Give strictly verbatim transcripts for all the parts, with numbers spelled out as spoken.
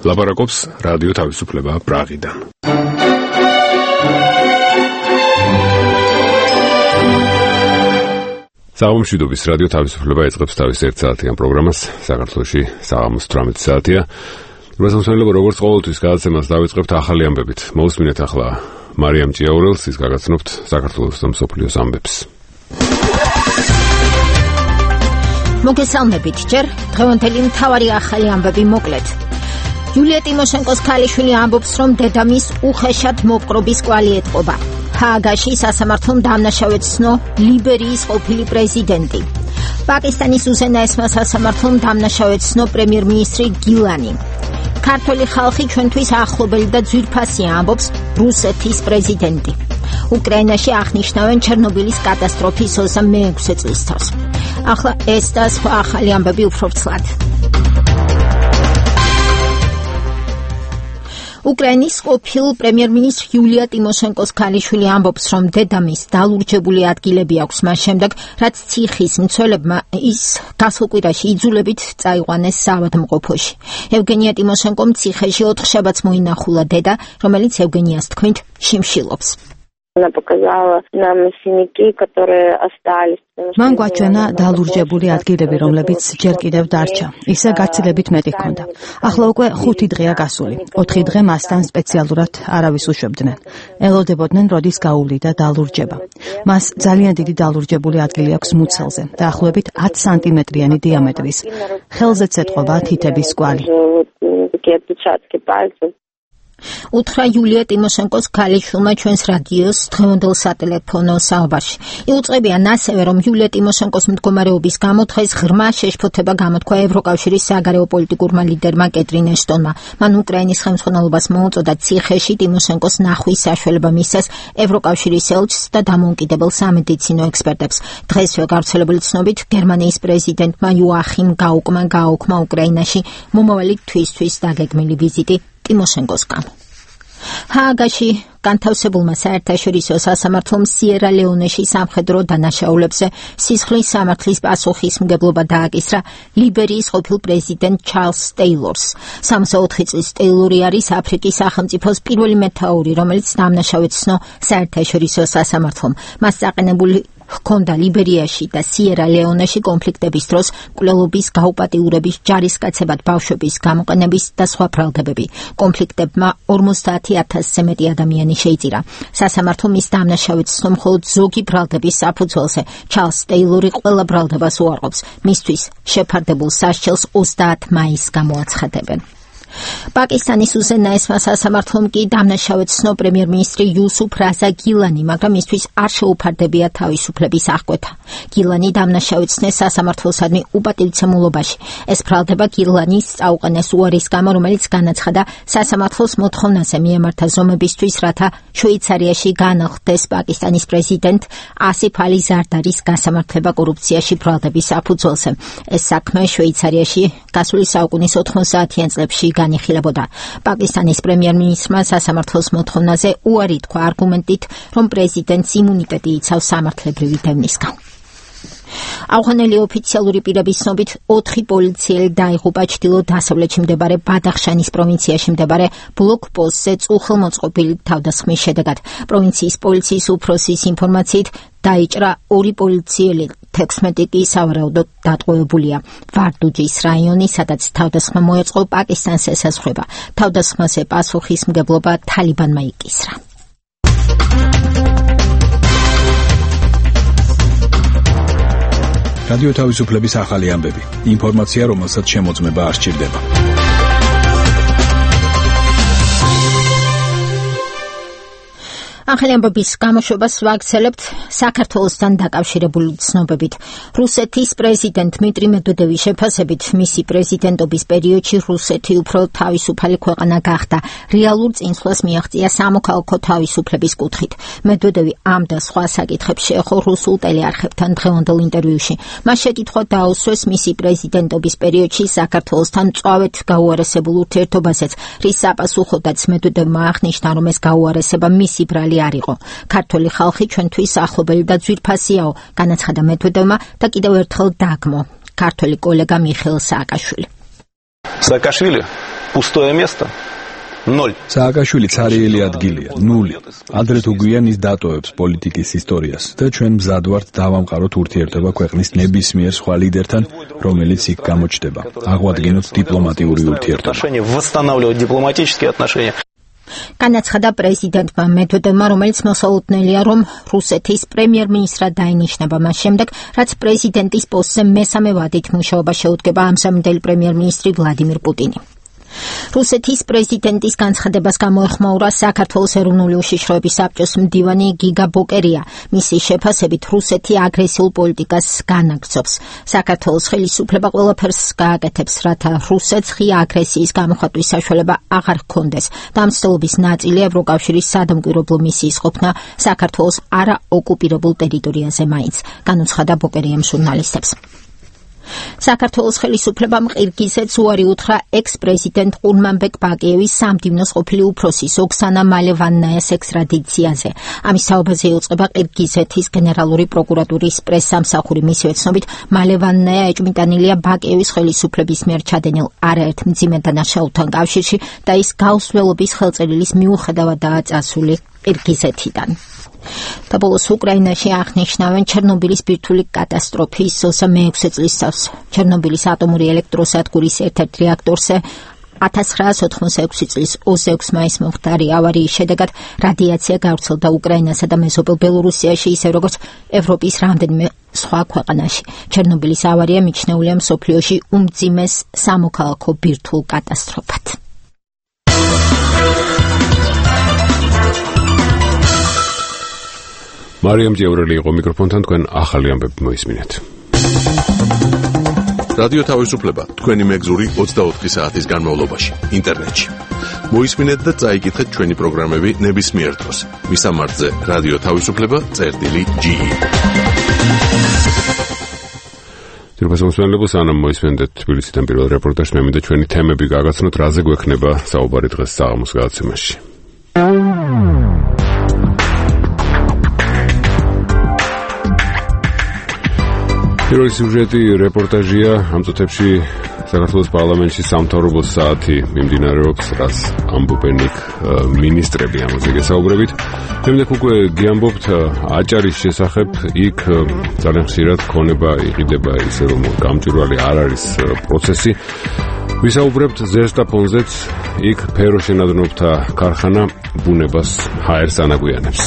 ლაპარაკობს რადიო თავისუფლება პრაღიდან. საღამომშვიდობის რადიო თავისუფლება ეწყებს თავის ერთსაათიან პროგრამას. საქართველოში საღამოს თვრამეტი საათია. მოსამსმენლებო, როგორც ყოველთვის გადაცემას დავიწყებთ ახალი ამბებით. მოусმინეთ ახლა მარიამ ჭიაურელს, ის გაგაცნობთ საქართველოს და მსოფლიოს ამბებს. მოგესალმებით ჯერ, დღევანდელი მთავარი ახალი ამბები მოკლედ. იულია ტიმოშენკოს ქალიშვილი ამბობს, რომ დედამის უხეშად მოპყრობის კვალი ეტყობა. ჰააგაში სასამართლომ დაამნაშავეთ სნო ლიბერიის ყოფილი პრეზიდენტი. პაკისტანის უზენაესმა სასამართლომ დაამნაშავეთ სნო პრემიერ-მინისტრი გილანი. ქართველი ხალხი ჩვენთვის ახლობელი და ძვირფასია, ამბობს რუსეთის პრეზიდენტი. უკრაინაში აღნიშნავენ ჩერნობილის კატასტროფის ოცდამეექვსე წლის თავს. ახლა ეს და სხვა ახალი ამბები უფრო ვრცლად. უკრაინის ყოფილ პრემიერ-მინისტრ იულია ტიმოშენკოს ქალიშვილი ამბობს, რომ დედამის დალურჯებული ადგილები აქვს მას შემდეგ, რაც ციხის მცველებმა ის გასულ კვირაში იძულებით წაიყვანეს საავადმყოფოში. ევგენია ტიმოშენკომ ციხეში ოთხ შაბათს მოინახულა დედა, რომელიც ევგენიას თქმით შიმშილობს. მან გვაჩვენა დალურჯებული ადგილები, რომლებიც ჯერ კიდევ დარჩა. ისე გაცილებით მეტი ჰქონდა. ახლა უკვე ხუთი დღეა გასული. ოთხი დღე მასთან სპეციალურად არავის უშვებდნენ. ელოდებოდნენ, როდის გაუვლიდა დალურჯება. მას ძალიან დიდი დალურჯებული ადგილი აქვს მუცელზე, დაახლოებით ათი სანტიმეტრიანი დიამეტრის. ხელზეც ეტყობა თითების კვალი. უთხრა იულია ტიმოშენკოს ქალიშვილმა ჩვენს რადიოს დღევანდელ სატელეფონო საუბარში. იუწყებიან ასევე, რომ იულია ტიმოშენკოს მდგომარეობის გამო დღეს ღრმა შეშფოთება გამოთქვა ევროკავშირის საგარეო პოლიტიკურმა ლიდერმა კეტრინ ეშტონმა. მან უკრაინის ხელმძღვანელობას მოუწოდა ციხეში ტიმოშენკოს ნახვის საშუალება მისცეს ევროკავშირის ელჩს და დამოუკიდებელ სამედიცინო ექსპერტებს. დღესვე გავრცელებული ცნობით, გერმანიის პრეზიდენტმა იოახიმ გაუკმა გააუქმა უკრაინაში მომავალი თვისთვის დაგეგმილი ვიზიტი ტიმოშენკოს გამო. ჰააგაში განთავსებულმა საერთაშორისო სასამართლომ სიერა-ლეონეში სამხედრო დანაშაულებებზე სისხლის სამართლის პასუხისმგებლობა დააკისრა ლიბერიის ყოფილ პრეზიდენტ ჩარლზ ტეილორს. სამოცდა ოთხი წლის ტეილორი არის აფრიკის სახელმწიფოს პირველი მეთაური, რომელიც დაამნაშავეთ სნო საერთაშორისო სასამართლომ. მას წაყენებული ჰქონდა ლიბერიაში და სიერა-ლეონეში კონფლიქტების დროს მკვლელობის, გაუპატიურების, ჯარისკაცებად ბავშვების გამოყენების და სხვა ბრალდებები. კონფლიქტებმა ორმოცდაათი ათასზე მეტი ადამიანი შეიწირა. სასამართლომ ის დაამნაშავეთ სნო მხოლოდ ზოგი ბრალდების საფუძველზე. ჩარლზ ტეილორი ყველა ბრალდებას უარყოფს. მისთვის შეფარდებულ სასჯელს ოცდაათი მაისს გამოაცხადებენ. პაკისტანის უზენაესმა სასამართლომ კი დაამნაშავეთ სნო პრემიერ-მინისტრი იუსუფ რაზა გილანი, მაგრამ მისთვის არ შეუფარდებია თავისუფლების აღკვეთა. გილანი დაამნაშავეთნეს სასამართლოსადმი უპატივცემულობაში. ეს ბრალდება გილანის წაუყენეს უარის გამო, რომელიც განაცხადა სასამართლოს მოთხოვნაზე მიემართა ზომებისთვის, რათა შვეიცარიაში განახლდეს პაკისტანის პრეზიდენტ ასიფ ალი ზარდარის გასამართლება კორუფციაში ბრალდების საფუძველზე. ეს საქმე შვეიცარიაში გასული საუკუნის ოთხმოცდაათიან წლებში განიხილებოდა. პაკისტანის პრემიერ-მინისტრმა სასამართლოს მოთხოვნაზე უარი თქვა არგუმენტით, რომ პრეზიდენტს იმუნიტეტი იცავს სამართლებრივი დევნისგან. ავღანელი ოფიციალური პირების ცნობით ოთხი პოლიციელი დაიღუპა ჩრდილო-დასავლეთში მდებარე ბადახშანის პროვინციაში მდებარე ბლოკპოსტზე უხელმოწყობილი თავდასხმის შედეგად. პროვინციის პოლიციის უფროსის ინფორმაციით დაიჭრა ორი პოლიციელი, თექვსმეტი კი სავარაუდოდ დატყვევებულია. ვარდუჯის რაიონი, სადაც თავდასხმა მოეწყო, პაკისტანს ესაზღვრება. თავდასხმაზე პასუხისმგებლობა თალიბანმა იკისრა. რადიო თავისუფლების ახალი ამბები. ინფორმაცია, რომელსაც შემოწმება არ სჭირდება. ახალი ამბების გამოშვებას ვაგრძელებთ საქართველოსთან დაკავშირებული ცნობებით. რუსეთის პრეზიდენტ დმიტრი მედვედევის შეფასებით მისი პრეზიდენტობის პერიოდში რუსეთი უფრო თავისუფალი ქვეყანა გახდა. რეალურ წინსვლას მიაღწია სამოქალაქო თავისუფლების კუთხით. მედვედევი ამ და სხვა საკითხებს შეეხო რუსულ ტელეარხებთან დღევანდელ ინტერვიუში. მას შეკითხვა დაუსვეს მისი პრეზიდენტობის პერიოდში საქართველოსთან მწვავედ გაუარესებულ ურთიერთობაზეც, რის საპასუხოდაც მედვედევმა აღნიშნა, რომ ეს გაუარესება მისი ბრალი არ იყო. ქართველი ხალხი ჩვენთვის ახლობელი და ძვირფასიაო, განაცხადა მედვედევმა და კიდევ ერთხელ დაგმო ქართველი კოლეგა მიხეილ სააკაშვილი. Saakashvili Пустое место. Ноль. Სააკაშვილი ცარიელი ადგილია, ნული. ადრე თუ გვიან ის დატოვებს პოლიტიკის ისტორიას და ჩვენ მზად ვართ დავამყაროთ ურთიერთობა ქვეყნის ნებისმიერ სხვა ლიდერთან, რომელიც იქ გამოჩნდება. აღვადგინოთ დიპლომატიური ურთიერთობა. Восстанавливать дипломатические отношения. განაცხადა პრეზიდენტმა მედვედევმა, რომელიც მოსალოდნელია, რომ რუსეთის პრემიერ-მინისტრად დაინიშნება მას შემდეგ, რაც პრეზიდენტის პოსტზე მესამე ვადით მუშაობა შეუდგება ამჟამინდელი პრემიერ-მინისტრი ვლადიმირ პუტინი. რუსეთის პრეზიდენტის განცხადებას გამოეხმაურა საქართველოს ეროვნული უშიშროების საბჭოს მდივანი გიგა ბოკერია. მისი შეფასებით რუსეთი აგრესიულ პოლიტიკას განაგრძობს. საქართველოს ხელისუფლება ყველაფერს გააკეთებს, რათა რუსეთს ღია აგრესიის გამოხატვის საშუალება აღარ ჰქონდეს. და ამ მცდელობის ნაწილი ევროკავშირის სადამკვირვებლო მისიის ყოფნა საქართველოს არაოკუპირებულ ტერიტორიაზე მაინც, განუცხადა ბოკერიამ ჟურნალისტებს. საქართველოს ხელისუფლებამ ყირგიზეთს უარი უთხრა ექს-პრეზიდენტ ყურმანბეკ ბაკიევის სამდივნოს ყოფილი უფროსის ოქსანა მალევანნაიას ექსტრადიციაზე. ამის საუბარზე იუწყება ყირგიზეთის გენერალური პროკურატურის პრესსამსახური. მისივე ცნობით, მალევანნაია ეჭვმიტანილია ბაკიევის ხელისუფლების მიერ ჩადენილ არაერთ მძიმე დანაშაულთან კავშირში და ის გაუსვლელობის ხელწერილის მიუხედავადაა წასული ყირგიზეთიდან. და ბოლოს უკრაინაში აღნიშნავენ ჩერნობილის ბირთვული კატასტროფის მეექვსე წლის წელს. ჩერნობილის ატომური ელექტროსადგურის ერთ-ერთ რეაქტორზე ათას ცხრაას ოთხმოცდაექვსი წლის ოცდაექვსი მაისს მომხდარი ავარიის შედეგად რადიაცია გავრცელდა უკრაინასა და მეზობელ ბელორუსიაში, ისე როგორც ევროპის რამდენიმე სხვა ქვეყანაში. ჩერნობილის ავარია მიჩნეულია მსოფლიოში უმძიმეს სამოქალაქო ბირთვულ კატასტროფად. მარიამ ჯევრელი იყო მიკროფონთან, თქვენ ახალი ამბები მოისმინეთ. რადიო თავისუფლება თქვენი მეგზური ოცდაოთხი საათის განმავლობაში ინტერნეტში. მოისმინეთ და წაიკითხეთ ჩვენი პროგრამები ნებისმიერ დროს. მისამართზე რადიო თავისუფლება წერტილი ჯი. თირფასმოსმენლებო, სანამ მოისმენდეთ თბილისიდან პირველ რეპორტაჟს, მე მინდა ჩვენი თემები გაგაცნოთ, რაზე გვექნება საუბარი დღეს საღამოს გადაცემაში. პირველი სიუჟეტი რეპორტაჟია. ამ წუთებში საქართველოს პარლამენტში სამთავრობო საათი მიმდინარეობს, რაც ამბობენ იქ მინისტრები, ამაზე გესაუბრებით. შემდეგ უკვე გიამბობთ აჭარის შესახებ. იქ ძალიან ხშირად ქონება იყიდება ისე, რომ გამჭვირვალე არ არის პროცესი. ვისაუბრებთ ზესტაფონზეც. იქ ფეროშენადნობთა ქარხანა ბუნებას ჰაერს ანაგვიანებს.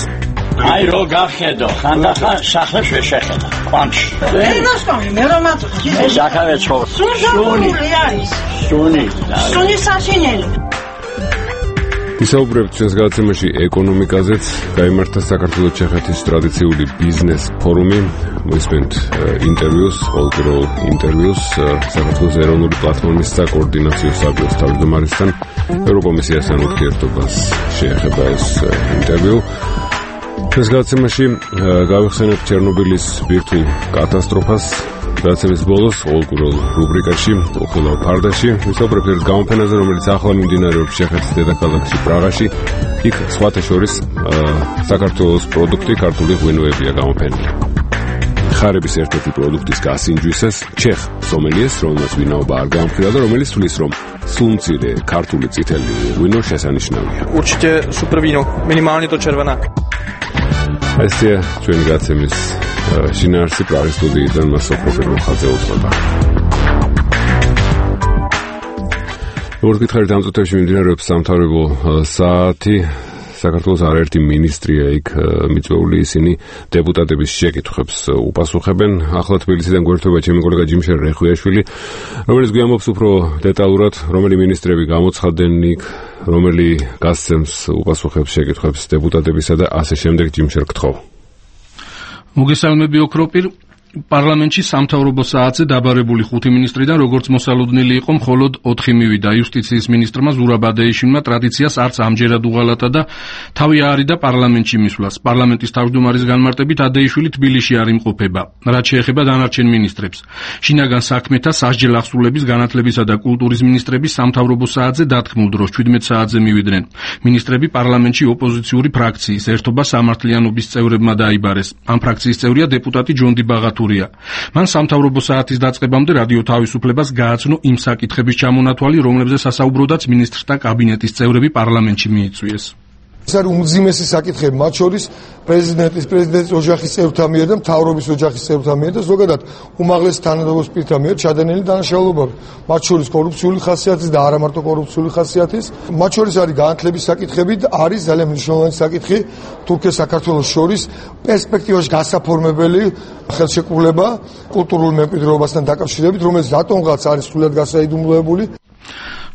აი რო გახედო, ხანდახან სახლებს შეხედა. ყვანში. ვერ მოსწონი, მე რომ აწუხე. ეს ახავე ხო. სუნი არის. სუნი. სუნი საშინელი. ვისაუბრებთ ჩვენს გადაცემაში ეკონომიკაზეც. გაიმართა საქართველოს ჩეხეთის ტრადიციული ბიზნეს ფორუმი. მოისმენთ ინტერვიუს, ყოველდღიურ ინტერვიუს საქართველოს ეროვნული პლატფორმის საკოორდინაციო საბჭოს თავმჯდომარესთან. ევროკომისიასთან ურთიერთობას შეეხება ეს ინტერვიუ. ჩვენს გადაცემაში გავიხსენებთ ჩერნობილის ბირთვულ კატასტროფას. გადაცემის ბოლოს ყოველდღიურ რუბრიკაში უხილავ ფარდაში ვისაუბრებთ ერთ გამოფენაზე, რომელიც ახლა მიმდინარეობს ჩეხეთის დედაქალაქში პრაღაში. იქ სხვათა შორის საქართველოს პროდუქტი, ქართული ღვინოებია გამოფენილი. ხარების ერთ-ერთი პროდუქტის გასინჯვისას ჩეხ სომელიეს, რომელმაც ვინაობა არ გაამხილა და რომელიც თვლის, რომ სულმცირე ქართული წითელი ღვინო შესანიშნავია. Určitě super víno, minimálně to červené. ესეა ჩვენი გადაცემის შინაარსი. პრაღის სტუდიიდან მას სოფროფერ მოხაძე უძღვება. როგორც გითხარით, ამ წუთებში მიმდინარეობს სამთავრობო საათი. საქართველოს არაერთი მინისტრია იქ მიწვეული, ისინი დეპუტატების შეკითხვებს უპასუხებენ. ახლა თბილისიდან გვერდება ჩემი კოლეგა ჯიმშერ რეხვიაშვილი, რომელიც გვიამბობს უფრო დეტალურად, რომელი მინისტრები გამოცხადდნენ იქ, რომელი გასცემს უპასუხებს შეკითხვებს დეპუტატებისა და ასე შემდეგ. ჯიმშერ, გთხოვ. მოგესალმები ოქროპირ. პარლამენტში სამთავრობო საათზე დაბარებული ხუთი მინისტრიდან როგორც მოსალოდნელი იყო, მხოლოდ ოთხი მივიდა. იუსტიციის მინისტრმა ზურაბ ადეიშვილმა ტრადიციას არც ამჯერად უღალატა და თავი აარიდა პარლამენტში მისვლას. პარლამენტის თავმჯდომარის განმარტებით ადეიშვილი თბილისში არ იმყოფება, რაც შეეხება დანარჩენ მინისტრებს. შინაგან საქმეთა, სასჯელ ახსრულების, განათლებისა და კულტურის მინისტრები სამთავრობო საათზე დათქმულ დროს შვიდმეტ საათზე მივიდნენ. მინისტრები პარლამენტში ოპოზიციური ფრაქციის ერთობა სამართლიანობის წევრებმა დაიბარეს. ამ ფრაქციის წევრია დეპუტატი ჯონდი ბაღათუ აბსურდულია. მან სამთავრობო საათის დაწყებამდე რადიო თავისუფლებას გააცნო იმ საკითხების ჩამონათვალი, რომლებზეც სასაუბროდაც მინისტრთა კაბინეტის წევრები პარლამენტში მიიწვიეს. ეს არის უმძიმესი საკითხები, მათ შორის პრეზიდენტის, პრეზიდენტის ოჯახის წევრთა მიერ და მთავრობის ოჯახის წევრთა მიერ და ზოგადად უმაღლეს თანამდებობის პირთა მიერ ჩადენილი დანაშაულებები, მათ შორის კორუფციული ხასიათის და არა მარტო კორუფციული ხასიათის. მათ შორის არის განათლების საკითხები და არის ძალიან მნიშვნელოვანი საკითხი თურქეთს საქართველოს შორის პერსპექტივაში გასაფორმებელი ხელშეკრულება კულტურულ მემკვიდრეობასთან დაკავშირებით, რომელიც რატომღაც არის სულად გასაიდუმლოებული.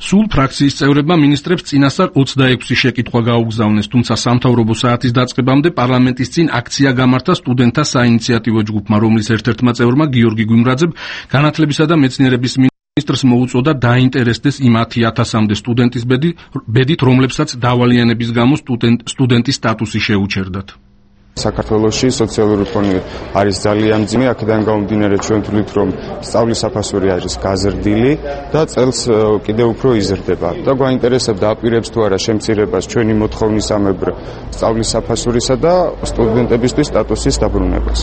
სულ ფრაქციის წევრებმა მინისტრებს წინასწარ ოცდაექვსი შეკითხვა გაუგზავნეს, თუმცა სამთავრობო საათის დაწყებამდე პარლამენტის წინ აქცია გამართა სტუდენტთა საინიციატივო ჯგუფმა, რომლის ერთ-ერთმა წევრმა გიორგი გვიმრაძემ განათლებისა და მეცნიერების მინისტრს მოუწოდა დაინტერესდეს იმ ათი ათასამდე სტუდენტის ბედით, რომლებსაც დავალიანების გამო სტუდენტის სტატუსი შეუჩერდათ. საქართველოში სოციალური ფონი არის ძალიან მძიმე, აქედან გამომდინარე ჩვენ ვთვლით, რომ სწავლის საფასური არის გაზრდილი და წელს კიდევ უფრო იზრდება. და გვაინტერესებდა აპირებს თუ არა შემცირებას ჩვენი მოთხოვნისამებრ სწავლის საფასურისა და სტუდენტებისთვის სტატუსის დაბრუნებას.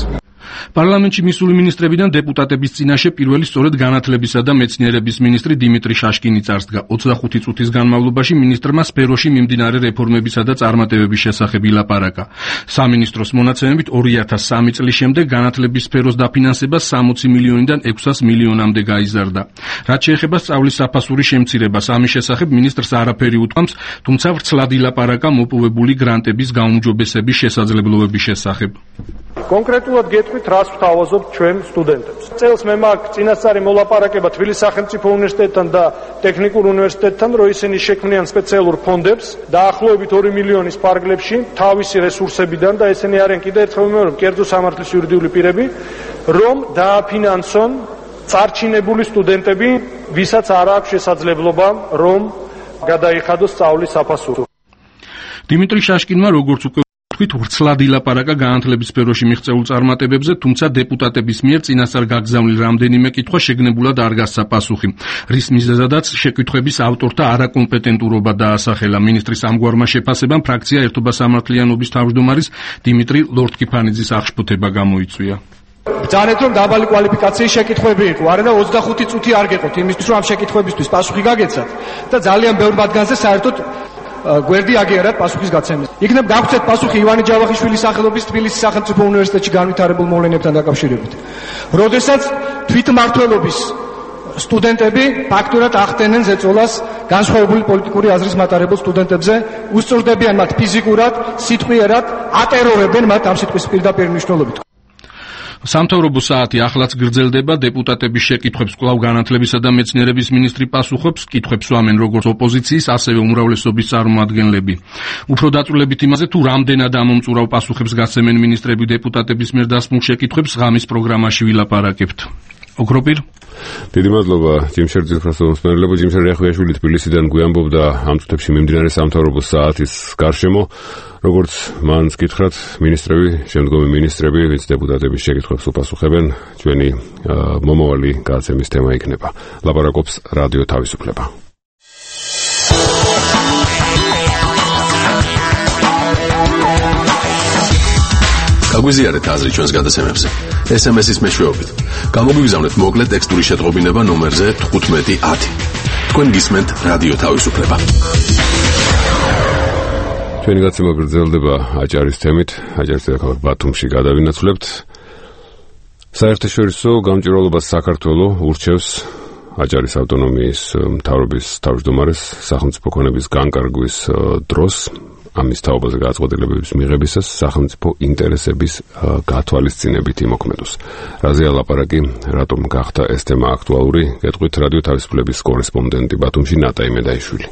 პარლამენტში მისული მინისტრებიდან დეპუტატების წინაშე პირველი სწორედ განათლებისა და მეცნიერების მინისტრი დიმიტრი შაშკინი წარსდგა. ოცდახუთი წუთის განმავლობაში მინისტრმა სფეროში მიმდინარე რეფორმებისა და წარმატებების შესახებ ილაპარაკა. სამინისტროს მონაცემებით ორი ათას სამი წლის შემდეგ განათლების სფეროს დაფინანსება სამოცი მილიონიდან ექვსას მილიონამდე გაიზარდა. რაც შეეხება სწავლის საფასურის შემცირებას, ამის შესახებ მინისტრს არაფერი უთქვამს, თუმცა ვრცლად ილაპარაკა მოპოვებული გრანტების გაუმჯობესების შესაძლებლობების შესახებ. კონკრეტულად გეტყვით, რას ვთავაზობთ ჩვენ სტუდენტებს. წელს მე მაქვს წინასწარი მოლაპარაკება თბილისის სახელმწიფო უნივერსიტეტთან და ტექნიკურ უნივერსიტეტთან, რომ ისინი შექმნიან სპეციალურ ფონდებს დაახლოებით ორი მილიონის ფარგლებში თავისი რესურსებიდან და ესენი არიან კიდევ ერთხელ ვიმეორებ, კერძო სამართლის იურიდიული პირები, რომ დააფინანსონ წარჩინებული სტუდენტები, ვისაც არ აქვს შესაძლებლობა, რომ გადაიხადოს სწავლის საფასური. დიმიტრი შაშკინმა როგორც უკვე თქვით, ვრცლად ილაპარაკა განათლების სფეროში მიღწეულ წარმატებებზე, თუმცა დეპუტატების მიერ წინასწარ გაგზავნილ რამდენიმე კითხვა შეგნებულად არ გასცა პასუხი, რის მიზეზადაც შეკითხვების ავტორთა არაკომპეტენტურობა დაასახელა. მინისტრის ამგვარმა შეფასებამ ფრაქცია ერთობა სამართლიანობის თავმჯდომარის დიმიტრი ლორთქიფანიძის აღშფოთება გამოიწვია. ბრძანეთ, რომ დაბალი კვალიფიკაციის შეკითხვები იყო, არა და ოცდახუთი წუთი არ გეყოთ იმისთვის, რომ ამ შეკითხვებისთვის პასუხი გაგეცათ და ძალიან ბევრ მათგანზე საერთოდ გვერდი აგიარათ პასუხის გაცემის. იქნებ გაგვცეთ პასუხი ივანე ჯავახიშვილის სახელობის თბილისის სახელმწიფო უნივერსიტეტში განვითარებულ მოვლენებთან დაკავშირებით. როდესაც თვითმმართველობის სტუდენტები ფაქტურად ახდენენ ზეწოლას განსხვავებული პოლიტიკური აზრის მატარებელ სტუდენტებზე, უსწორდებიან მათ ფიზიკურად, სიტყვიერად, ატერორებენ მათ ამ სიტყვის პირდაპირ მნიშვნელობით. სამთავრობო საათი ახლაც გრძელდება, დეპუტატების შეკითხვებს კვლავ განათლებისა და მეცნიერების მინისტრი პასუხობს, კითხვებს ვამენ როგორც ოპოზიციის, ასევე უმრავლესობის წარმომადგენლები. უფრო დაწვრილებით იმაზე, თუ რამდენად ამომწურავ პასუხებს გასცემენ მინისტრები დეპუტატების მიერ დასმულ შეკითხვებს, ღამის პროგრამაში ვილაპარაკებთ. ოქროპირ დიდი მადლობა ჯიმშერძის პროფესორ ჯიმშერ რეხვიაშვილი თბილისიდან გვიამბობდა ამ წუთებში მიმდინარე სამთავრობო საათის გარშემო, როგორც მან გითხრათ, მინისტრები, შემდგომი მინისტრები, ვინც დეპუტატების შეკითხვებს უპასუხებენ, ჩვენი მომავალი გადაცემის თემა იქნება. ლაპარაკობს რადიო თავისუფლება. გაგვიზიარეთ აზრი ჩვენს გადაცემებზე. ეს ემ ეს-ის მეშვეობით. გამოგვიგზავნეთ მოკლე ტექსტური შეტყობინება ნომერზე თხუთმეტი ათი. თქვენ გისმენთ რადიო თავისუფლება. ჩვენი გადაცემა გრძელდება აჭარის თემით. აჭარის დედაქალაქ ბათუმში გადავინაცვლებთ. საერთაშორისო გამჭვირვალობას საქართველოს ურჩევს აჭარის ავტონომიის მთავრობის თავმჯდომარეს სახელმწიფო ქონების განკარგვის დროს ამის თაობაზე გადაწყვეტილებების მიღებისას სახელმწიფო ინტერესების გათვალისწინებით იმოქმედოს. რაზეა ლაპარაკი, რატომ გახდა ეს თემა აქტუალური? გეტყვით რადიო თავისუფლების კორესპონდენტი ბათუმში ნატა იმედაიშვილი.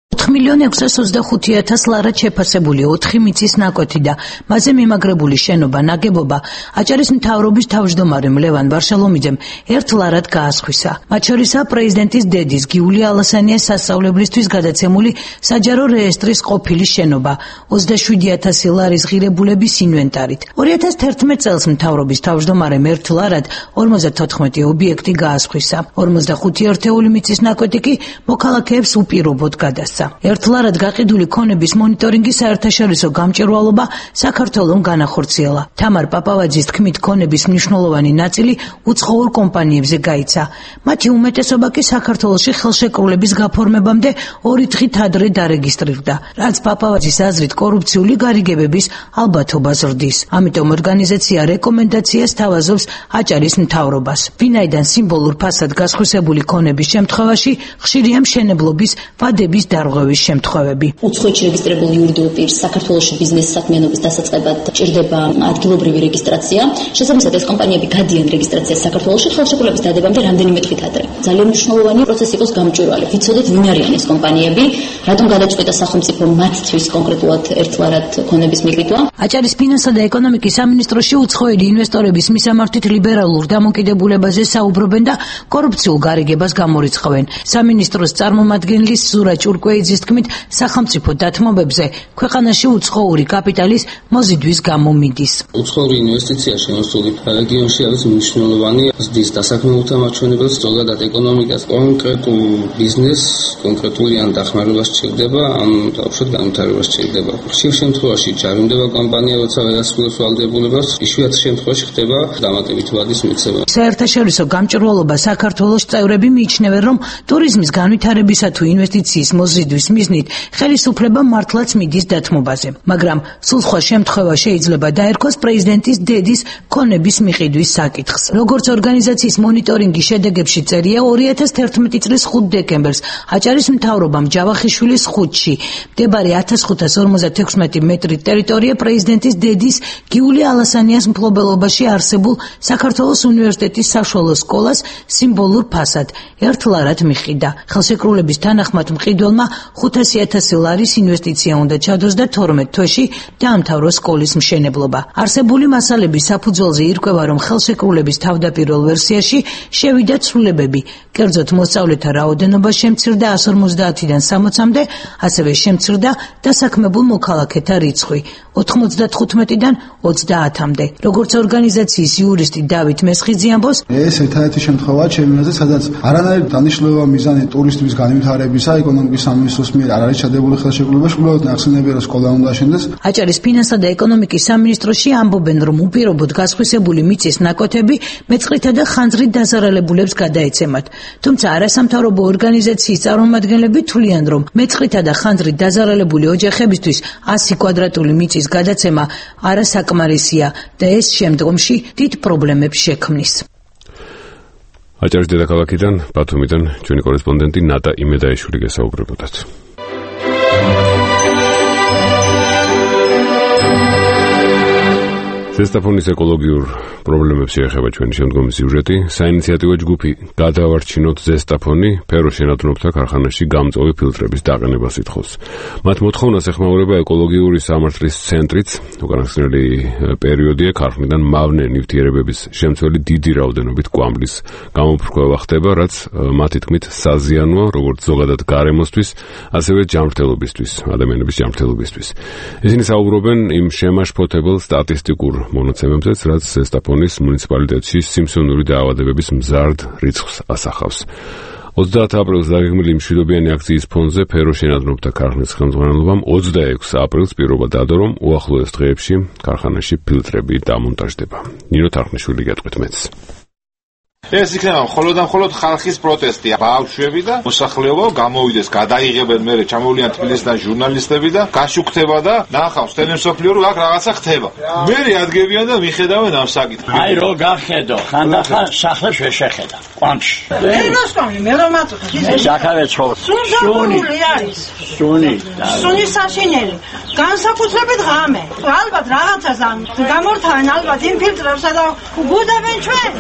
ოთხ მილიონი ექვსას ოცდახუთი ათას ლარად შეფასებული ოთხი მიწის ნაკვეთი და მასზე მიმაგრებული შენობა ნაგებობა აჭარის მთავრობის თავმჯდომარემ ლევან ვარშალომიძემ ერთ ლარად გაასხვისა. მათ შორისაა პრეზიდენტის დედის გიული ალასანიას სასწავლებლისთვის გადაცემული საჯარო რეესტრის ყოფილი შენობა ოცდაშვიდი ათასი ლარის ღირებულების ინვენტარით. ორი ათას თერთმეტ წელს მთავრობის თავმჯდომარემ ერთ ლარად ორმოცდათოთხმეტი ობიექტი გაასხვისა. ორმოცდახუთი ერთეული მიწის ნაკვეთი კი მოქალაქეებს უპირობოდ გადასცა. ერთლარად გაყიდული ქონების მონიტორინგის საერთაშორისო გამჭვირვალობა საქართველოს განახორციელა. თამარ პაპავაძის თქმით, ქონების მნიშვნელოვანი ნაწილი უცხოურ კომპანიებზე გაიცა. მათი უმეტესობა კი საქართველოში ხელშეკრულების გაფორმებამდე ორი დღით ადრე დარეგისტრირდა, რაც პაპავაძის აზრით კორუფციული გარიგებების ალბათობა ზრდის. ამიტომ ორგანიზაცია რეკომენდაციას თავაზობს აჭარის მთავრობას. ვინაიდან სიმბოლურ ფასად გასხვისებული ქონების შემთხვევაში ხშირია მშენებლობის ვადების დარღვევის შემთხვევები. უცხოეთში რეგისტრირებული იურიდიულ პირს საქართველოში ბიზნეს საქმიანობის დასაწყებად ჭირდება ადგილობრივი რეგისტრაცია. შესაბამისად, ეს კომპანიები გადიან რეგისტრაციას საქართველოში ხელშეკრულების დადებამდე რამდენიმე დღით ადრე. ძალიან მნიშვნელოვანი პროცესი იყოს გამჭვირვალე. ვიცოდეთ, ვინ არიან ეს კომპანიები, რატომ გადაწყვეტა სახელმწიფო მათთვის კონკრეტულად ერთლარად ქონების მიყიდვა. აჭარის ფინანსთა და ეკონომიკის სამინისტროში უცხოელი ინვესტორების მისამართით ლიბერალურ დამოკიდებულებაზე საუბრობენ და კორუფციულ გარიგებას გამორიცხავენ. სამინისტროს წარმომადგენლის ზურა ჭურკვეიძის თქმით, სახელმწიფო დათმობებზე ქვეყანაში უცხოური კაპიტალის მოზიდვის გამო მიდის. უცხოური ინვესტიცია შემოსული რეგიონში არის მნიშვნელოვანი, ზრდის დასაქმებულთა მაჩვენებელს, ზოგადად ეკონომიკას, კონკრეტულ ბიზნესს, კონკრეტული ან დახმარება სჭირდება, ან დაუშვათ განვითარება სჭირდება. ხშირ შემთხვევაში ჯარიმდება კომპანია, როცა ვერ ასრულებს ვალდებულებას, იშვიათ შემთხვევაში ხდება დამატებით ვადის მიცემა. საერთაშორისო გამჭვირვალობა საქართველოს წევრები მიიჩნევენ, რომ ტურიზმის განვითარებისა თუ ინვესტიციის მოზიდვის მიზნით ხელისუფლება მართლაც მიდის დათმობაზე, მაგრამ სულ სხვა შემთხვევა შეიძლება დაერქვას პრეზიდენტის დედის ქონების მიყიდვის საკითხს. როგორც ორგანიზაციის მონიტორინგის შედეგებში წერია, ორი ათას თერთმეტი წლის ხუთ დეკემბერს აჭარის მთავრობამ ჯავახიშვილის ხუთში მდებარე ათას ხუთას ორმოცდათექვსმეტი მეტრი ტერიტორია პრეზიდენტის დედის გიული ალასანიას მფლობელობაში არსებულ საქართველოს უნივერსიტეტის საშუალო სკოლას სიმბოლურ ფასად ერთლარად მიყიდა. ხელშეკრულების თანახმად მყიდველმა ხუთასი ათასი ლარის ინვესტიცია უნდა ჩადოს და თორმეტ თვეში დაამთავროს სკოლის მშენებლობა. არსებული მასალების საფუძველზე ირკვევა, რომ ხელშეკრულების თავდაპირველ ვერსიაში შევიდა ცვლილებები, კერძოდ მოსწავლეთა რაოდენობა შემცირდა ას ორმოცდაათიდან სამოცამდე, ასევე შემცირდა დასაქმებულ მოქალაქეთა რიცხვი ოთხმოცდათხუთმეტიდან ოცდაათამდე. როგორც ორგანიზაციის იურისტი დავით მესხიძე ამბობს, ეს ერთადერთი შემთხვევაა ჩემი აზრით, სადაც არანაირი დანიშნულება მიზანი ტურისტების განვითარებისა ეკონომიკის სამინისტროს მიერ არ არის ჩადებული ხელშეკრულებაში, უბრალოდ ნახსენებია, რომ სკოლა უნდა აშენდეს. აჭარის ფინანსთა და ეკონომიკის სამინისტროში ამბობენ, რომ უპირობოდ გასხვისებული მიწის ნაკვეთები მეწყრითა და ხანძრით დაზარალებულებს გადაეცემათ. თუმცა არასამთავრობო ორგანიზაციის წარმომადგენლები თვლიან, რომ მეწყრითა და ხანძრით დაზარალებული ოჯახებისთვის ასი კვადრატული მიწის გადაცემა არასაკმარისია და ეს შემდგომში დიდ პრობლემებს შექმნის. აჭარის დედაქალაქიდან, ბათუმიდან ჩვენი კორესპონდენტი ნატა იმედაიშვილი გესაუბრებოდათ. ზესტაფონის ეკოლოგიურ პრობლემებს შეეხება ჩვენი შემდგომი სიუჟეტი. საინიციატივო ჯგუფი გადავარჩინოთ ზესტაფონი ფეროშენადნობთა ქარხანაში გამწვავი ფილტრების დაყენებას ითხოვს. მათ მოთხოვნას ეხმაურება ეკოლოგიური სამართლის ცენტრიც, უკანასკნელი პერიოდია ქარხნიდან მავნე ნივთიერებების შემცველი დიდი რაოდენობით კვამლის გამოფრქვევა ხდება, რაც მათი თქმით საზიანოა როგორც ზოგადად გარემოსთვის, ასევე ჯანმრთელობისთვის, ადამიანების ჯანმრთელობისთვის. ისინი საუბრობენ იმ შემაშფოთებელ სტატისტიკურ მონაცემებზეც, რაც ზესტაფონის მუნიციპალიტეტში სიმსივნური დაავადებების მზარდ რიცხვს ასახავს. ოცდაათ აპრილს დაგეგმილი მშვიდობიანი აქციის ფონზე ფეროშენადნობთა ქარხნის ხელმძღვანელობამ ოცდაექვსი აპრილს პირობა დადო, რომ უახლოეს დღეებში ქარხანაში ფილტრები დამონტაჟდება. ნინო თარხნიშვილი გეტყვით მეც. ეს იქნება მხოლოდ და მხოლოდ ხალხის პროტესტი. ბავშვები და მოსახლეობა გამოვიდეს, გადაიღებენ მერე ჩამოვლიან თბილისიდან ჟურნალისტები და გაშუქდება და ნახავს ტელემსოფლიო რომ აქ რაღაცა ხდება. მერე ადგებიან და მიხედავენ ამ საკითხს. აი რო გახედო, ხანდახან სახლებს ვერ შეხედა. ყვანში. ეროსკომი მე რომ აწუხე. შაქავე ცხოვრ. სუნი არის. სუნი. სუნი საშინელი. განსაკუთრებით ღამე. ალბათ რაღაცას ამ გამორთავენ ალბათ ინფილტრებსა და გუდავენ ჩვენ.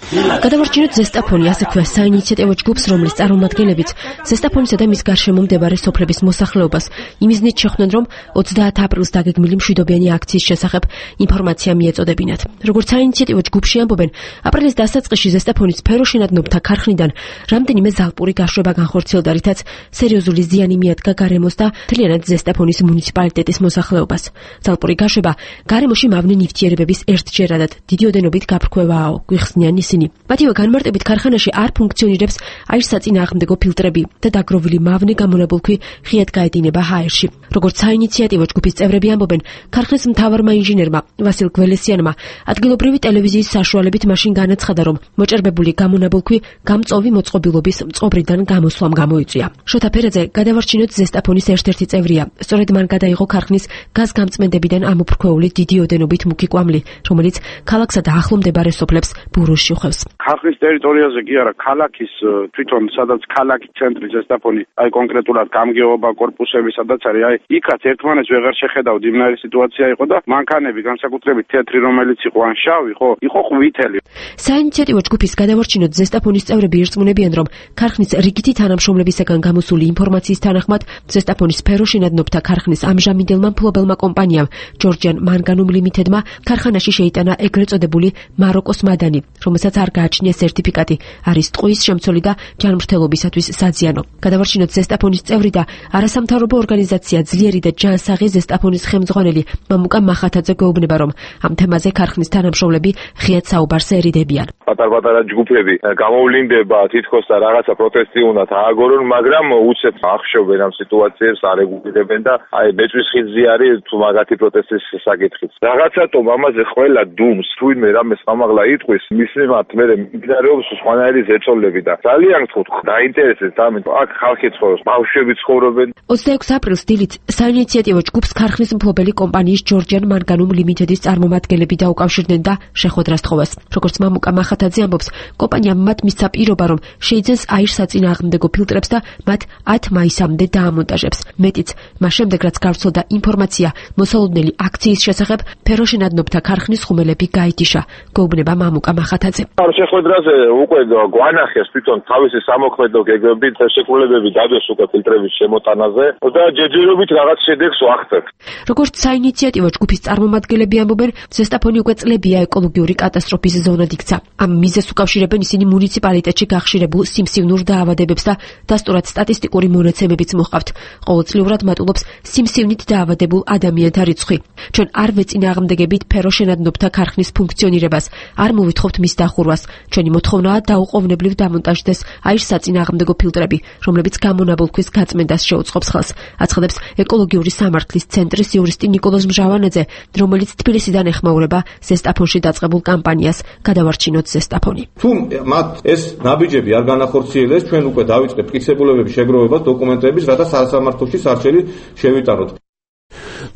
გადავარჩინოთ ზესტაფონი, ასე ქვია საინიციატივო ჯგუფს, რომლის წარმომადგენლებიც ზესტაფონისა და მის გარშემო მდებარე სოფლების მოსახლეობას იმიზნით შეხვდნენ, რომ ოცდაათ აპრილს დაგეგმილი მშვიდობიანი აქციის შესახებ ინფორმაცია მიეწოდებინათ. როგორც საინიციატივო ჯგუფში ამბობენ, აპრილის დასაწყისში ზესტაფონის ფეროშენადნობთა ქარხნიდან რამდენიმე ზალპური გაშვება განხორციელდა, რითაც სერიოზული ზიანი მიადგა გარემოს და მთლიანად ზესტაფონის მუნიციპალიტეტის მოსახლეობას. ზალპური გაშვება გარემოში მავნე ნივთიერებების ერთჯერადად დიდი ოდენობით გაფრქვევაა, გვიხსნიან ისინი. ისინი. მათივე განმარტებით ქარხანაში არ ფუნქციონირებს აირსაწინააღმდეგო ფილტრები და დაგროვილი მავნე გამონაბოლქვი ღიად გაედინება ჰაერში. როგორც საინიციატივო ჯგუფის წევრები ამბობენ, ქარხნის მთავარმა ინჟინერმა ვასილ გველესიანმა ადგილობრივი ტელევიზიის საშუალებით მაშინ განაცხადა, რომ მოჭერბებული გამონაბოლქვი გამწოვი მოწყობილობის მწყობრიდან გამოსვლამ გამოიწვია. შოთა ფერაძე გადავარჩინოთ ზესტაფონის ერთ-ერთი წევრია. სწორედ მან გადაიღო ქარხნის გაზგამწმენდებიდან ამოფრქვეული დიდი ოდენობით მუქი კვამლი, რომელიც ქალაქსა და ახლო მდებარე სოფლებს ბურუს შეხვევს. ქარხნის ტერიტორიაზე კი არა, ქალაქის თვითონ სადაც ქალაქის ცენტრი ზესტაფონი, აი კონკრეტულად გამგეობა კორპუსები სადაც არის, აი იქაც ერთმანეთს ვეღარ შეხედავთ, იმნაირი სიტუაცია იყო და მანქანები განსაკუთრებით თეთრი რომელიც იყო ან შავი, ხო, იყო ყვითელი. საინიციატივო ჯგუფის გადავარჩინოთ ზესტაფონის წევრები ირწმუნებიან, რომ ქარხნის რიგითი თანამშრომლებისაგან გამოსული ინფორმაციის თანახმად ზესტაფონის სფეროშინადნობთა ქარხნის ამჟამინდელმა მფლობელმა კომპანიამ ჯორჯიან მანგანუმ ლიმიტედმა ქარხანაში შეიტანა ეგრეთ წოდებული მაროკოს მადანი, რომელსაც არ გააჩნია სერტიფიკატი, არის ტყუის შემცველი და ჯანმრთელობისათვის საზიანო. გადავარჩინოთ ზესტაფონის წევრი და არასამთავრობო ორგანიზაცია ძლიერი და ჯანსაღი ზესტაფონის ხელმძღვანელი მამუკა მახათაძე გვეუბნება, რომ ამ თემაზე ქარხნის თანამშრომლები ღიად საუბარს ერიდებიან. პატარ-პატარა ჯგუფები გამოვლინდება თითქოს და რაღაცა პროტესტი უნდა ააგორონ, მაგრამ უცებ ახშობენ ამ სიტუაციებს, არ ეგუირებენ და აი მეწვის ხიძი არის თუ მაგათი პროტესტის საკითხიც. რაღაცატომ ამაზე ყველა დუმს, თუ ვინმე რამეს ამაღლა იტყვის, მის მიმართ მე მიმდინარეობს სხვანაირი ზეწოლები და ძალიან გთხოვთ, დაინტერესებს ამით. აქ ხალხი ცხოვრობს, ბავშვები ცხოვრობენ. ოცდაექვსი აპრილს დილით საინიციატივო ჯგუფს ქარხნის მფლობელი კომპანიის ჯორჯიან მანგანუმ ლიმიტედის წარმომადგენლები დაუკავშირდნენ და შეხვედრას თხოვეს. როგორც მამუკა მახათაძე ამბობს, კომპანიამ მათ მისცა პირობა, რომ შეიძენს აირსაწინააღმდეგო ფილტრებს და მათ ათი მაისამდე დაამონტაჟებს. მეტიც, მას შემდეგ რაც გავრცელდა ინფორმაცია მოსალოდნელი აქციის შესახებ, ფეროშინადნობთა ქარხნის ხუმელები გაითიშა, გვეუბნება მამუკა მახათაძე. ამ შეხვედრაზე უკვე გვანახეს თვითონ თავისი სამოქმედო გეგმებით შეკრულებები დადეს უკვე ფილტრების შემოტანაზე და ჯერჯერობით რაღაც შედეგს ვახცევთ. როგორც საინიციატივო ჯგუფის წარმომადგენლები ამბობენ, ზესტაფონი უკვე წლებია ეკოლოგიური კატასტროფის ზონად იქცა. ამ მიზეზს უკავშირებენ ისინი მუნიციპალიტეტში გახშირებულ სიმსივნურ დაავადებებს და დასტურად სტატისტიკური მონაცემებიც მოჰყავთ. ყოველწლიურად მატულობს სიმსივნით დაავადებულ ადამიანთა რიცხვი. ჩვენ არ ვეწინააღმდეგებით ფეროშენადნობთა ქარხნის ფუნქციონირებას, არ მოვითხოვთ მის დახურვას. ჩვენი მოთხოვნაა დაუყოვნებლივ დამონტაჟდეს აირსაწინააღმდეგო ფილტრები, რომლებიც გამონაბოლქვის გაწმენდას შეუწყობს ხელს. აცხადებს ეკოლოგიური სამართლის ცენტრის იურისტი ნიკოლოზ მჟავანაძე, რომელიც თბილისიდან ეხმაურება ზესტაფონში დაწყებულ კამპანიას გადავარჩინოთ ზესტაფონი. თუ მათ ეს ნაბიჯები არ განახორციელეს, ჩვენ უკვე დავიწყებთ მტკიცებულებების შეგროვებას დოკუმენტების, რათა სასამართლოში სარჩელი შევიტანოთ.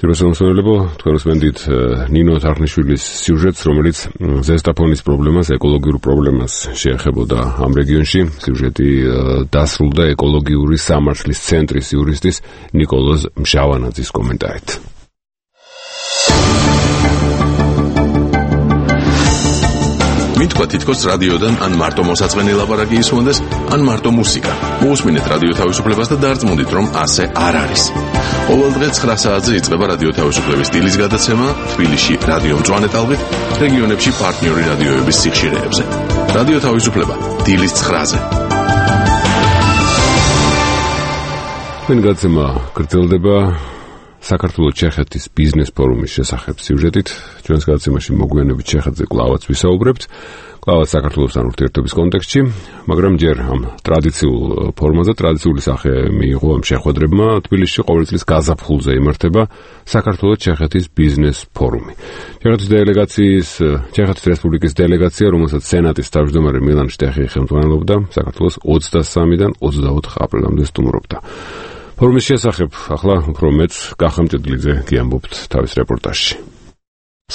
ძიროსამოსვენებო თქვენს მენდით ნინო თარხნიშვილის სიუჟეტს, რომელიც ზესტაფონის პრობლემას, ეკოლოგიურ პრობლემას შეეხებოდა ამ რეგიონში. სიუჟეტი დასრულდა ეკოლოგიური სამართლის ცენტრის იურისტის ნიკოლოზ მჟავანაძის კომენტარით. მითქვა თითქოს რადიოდან ან მარტო მოსაწყენი ლაპარაკი ისმოდეს, ან მარტო მუსიკა. მოусმინეთ რადიო თავისუფლებას და დარწმუნდით, რომ ასე არ არის. ყოველ დღე ცხრა საათზე იწყება რადიო თავისუფლების სტილის გადაცემა თბილისში რადიო მწვანე ტალღით, რეგიონებში პარტნიორი რადიოების სიხშირეებზე. რადიო თავისუფლება დილის ცხრაზე. მენ გადაცემა გრძელდება საქართველოს ჩეხეთის ბიზნეს ფორუმის შესახებ სიუჟეტით. ჩვენს გადაცემაში მოგვიანებით ჩეხეთზე კვლავაც ვისაუბრებთ, კვლავაც საქართველოსთან ურთიერთობის კონტექსტში, მაგრამ ჯერ ამ ტრადიციულ ფორმაზე ტრადიციული სახე მიიღო ამ შეხვედრებმა. თბილისში ყოველი წლის გაზაფხულზე იმართება საქართველოს ჩეხეთის ბიზნეს ფორუმი. ჩეხეთის დელეგაციის, ჩეხეთის რესპუბლიკის დელეგაცია, რომელსაც სენატის თავმჯდომარე მილან შტეხი ხელმძღვანელობდა, საქართველოს ოცდასამიდან ოცდაოთხ აპრილამდე სტუმრობდა. ფორუმის შესახებ ახლა უფრო მეც გახამჭედლიძე გიამბობთ თავის რეპორტაჟში.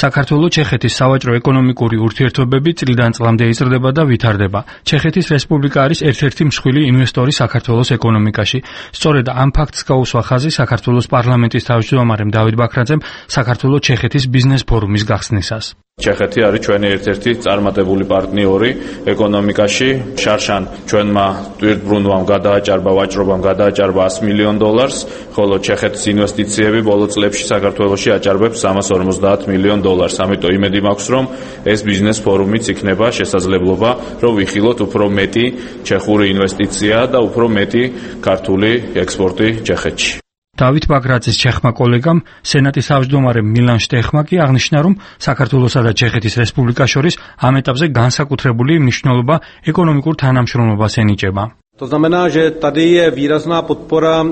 საქართველოს-ჩეხეთის სავაჭრო ეკონომიკური ურთიერთობები წლიდან წლამდე იზრდება და ვითარდება. ჩეხეთის რესპუბლიკა არის ერთ-ერთი მსხვილი ინვესტორი საქართველოს ეკონომიკაში. სწორედ ამ ფაქტს გაუსვა ხაზი საქართველოს პარლამენტის თავმჯდომარემ დავით ბაქრაძემ საქართველოს-ჩეხეთის ბიზნეს ფორუმის გახსნისას. ჩეხეთი არის ჩვენი ერთ-ერთი წარმატებული პარტნიორი ეკონომიკაში. შარშან ჩვენმა ტვირთბრუნვამ გადააჭარბა, ვაჭრობამ გადააჭარბა ასი მილიონ დოლარს, ხოლო ჩეხეთის ინვესტიციები ბოლო წლებში საქართველოში აჭარბებს სამას ორმოცდაათ მილიონ დოლარს. ამიტომ იმედი მაქვს, რომ ეს ბიზნეს ფორუმიც იქნება შესაძლებლობა, რომ ვიხილოთ უფრო მეტი ჩეხური ინვესტიცია და უფრო მეტი ქართული ექსპორტი ჩეხეთში. დავით ბაგრაძის ჩეხმა კოლეგამ, სენატის თავმჯდომარემ მილან შტეხმა კი აღნიშნა, რომ საქართველოსა და ჩეხეთის რესპუბლიკას შორის ამ ეტაპზე განსაკუთრებული მნიშვნელობა ეკონომიკურ თანამშრომლობას ენიჭება. To znamená, že tady je výrazná podpora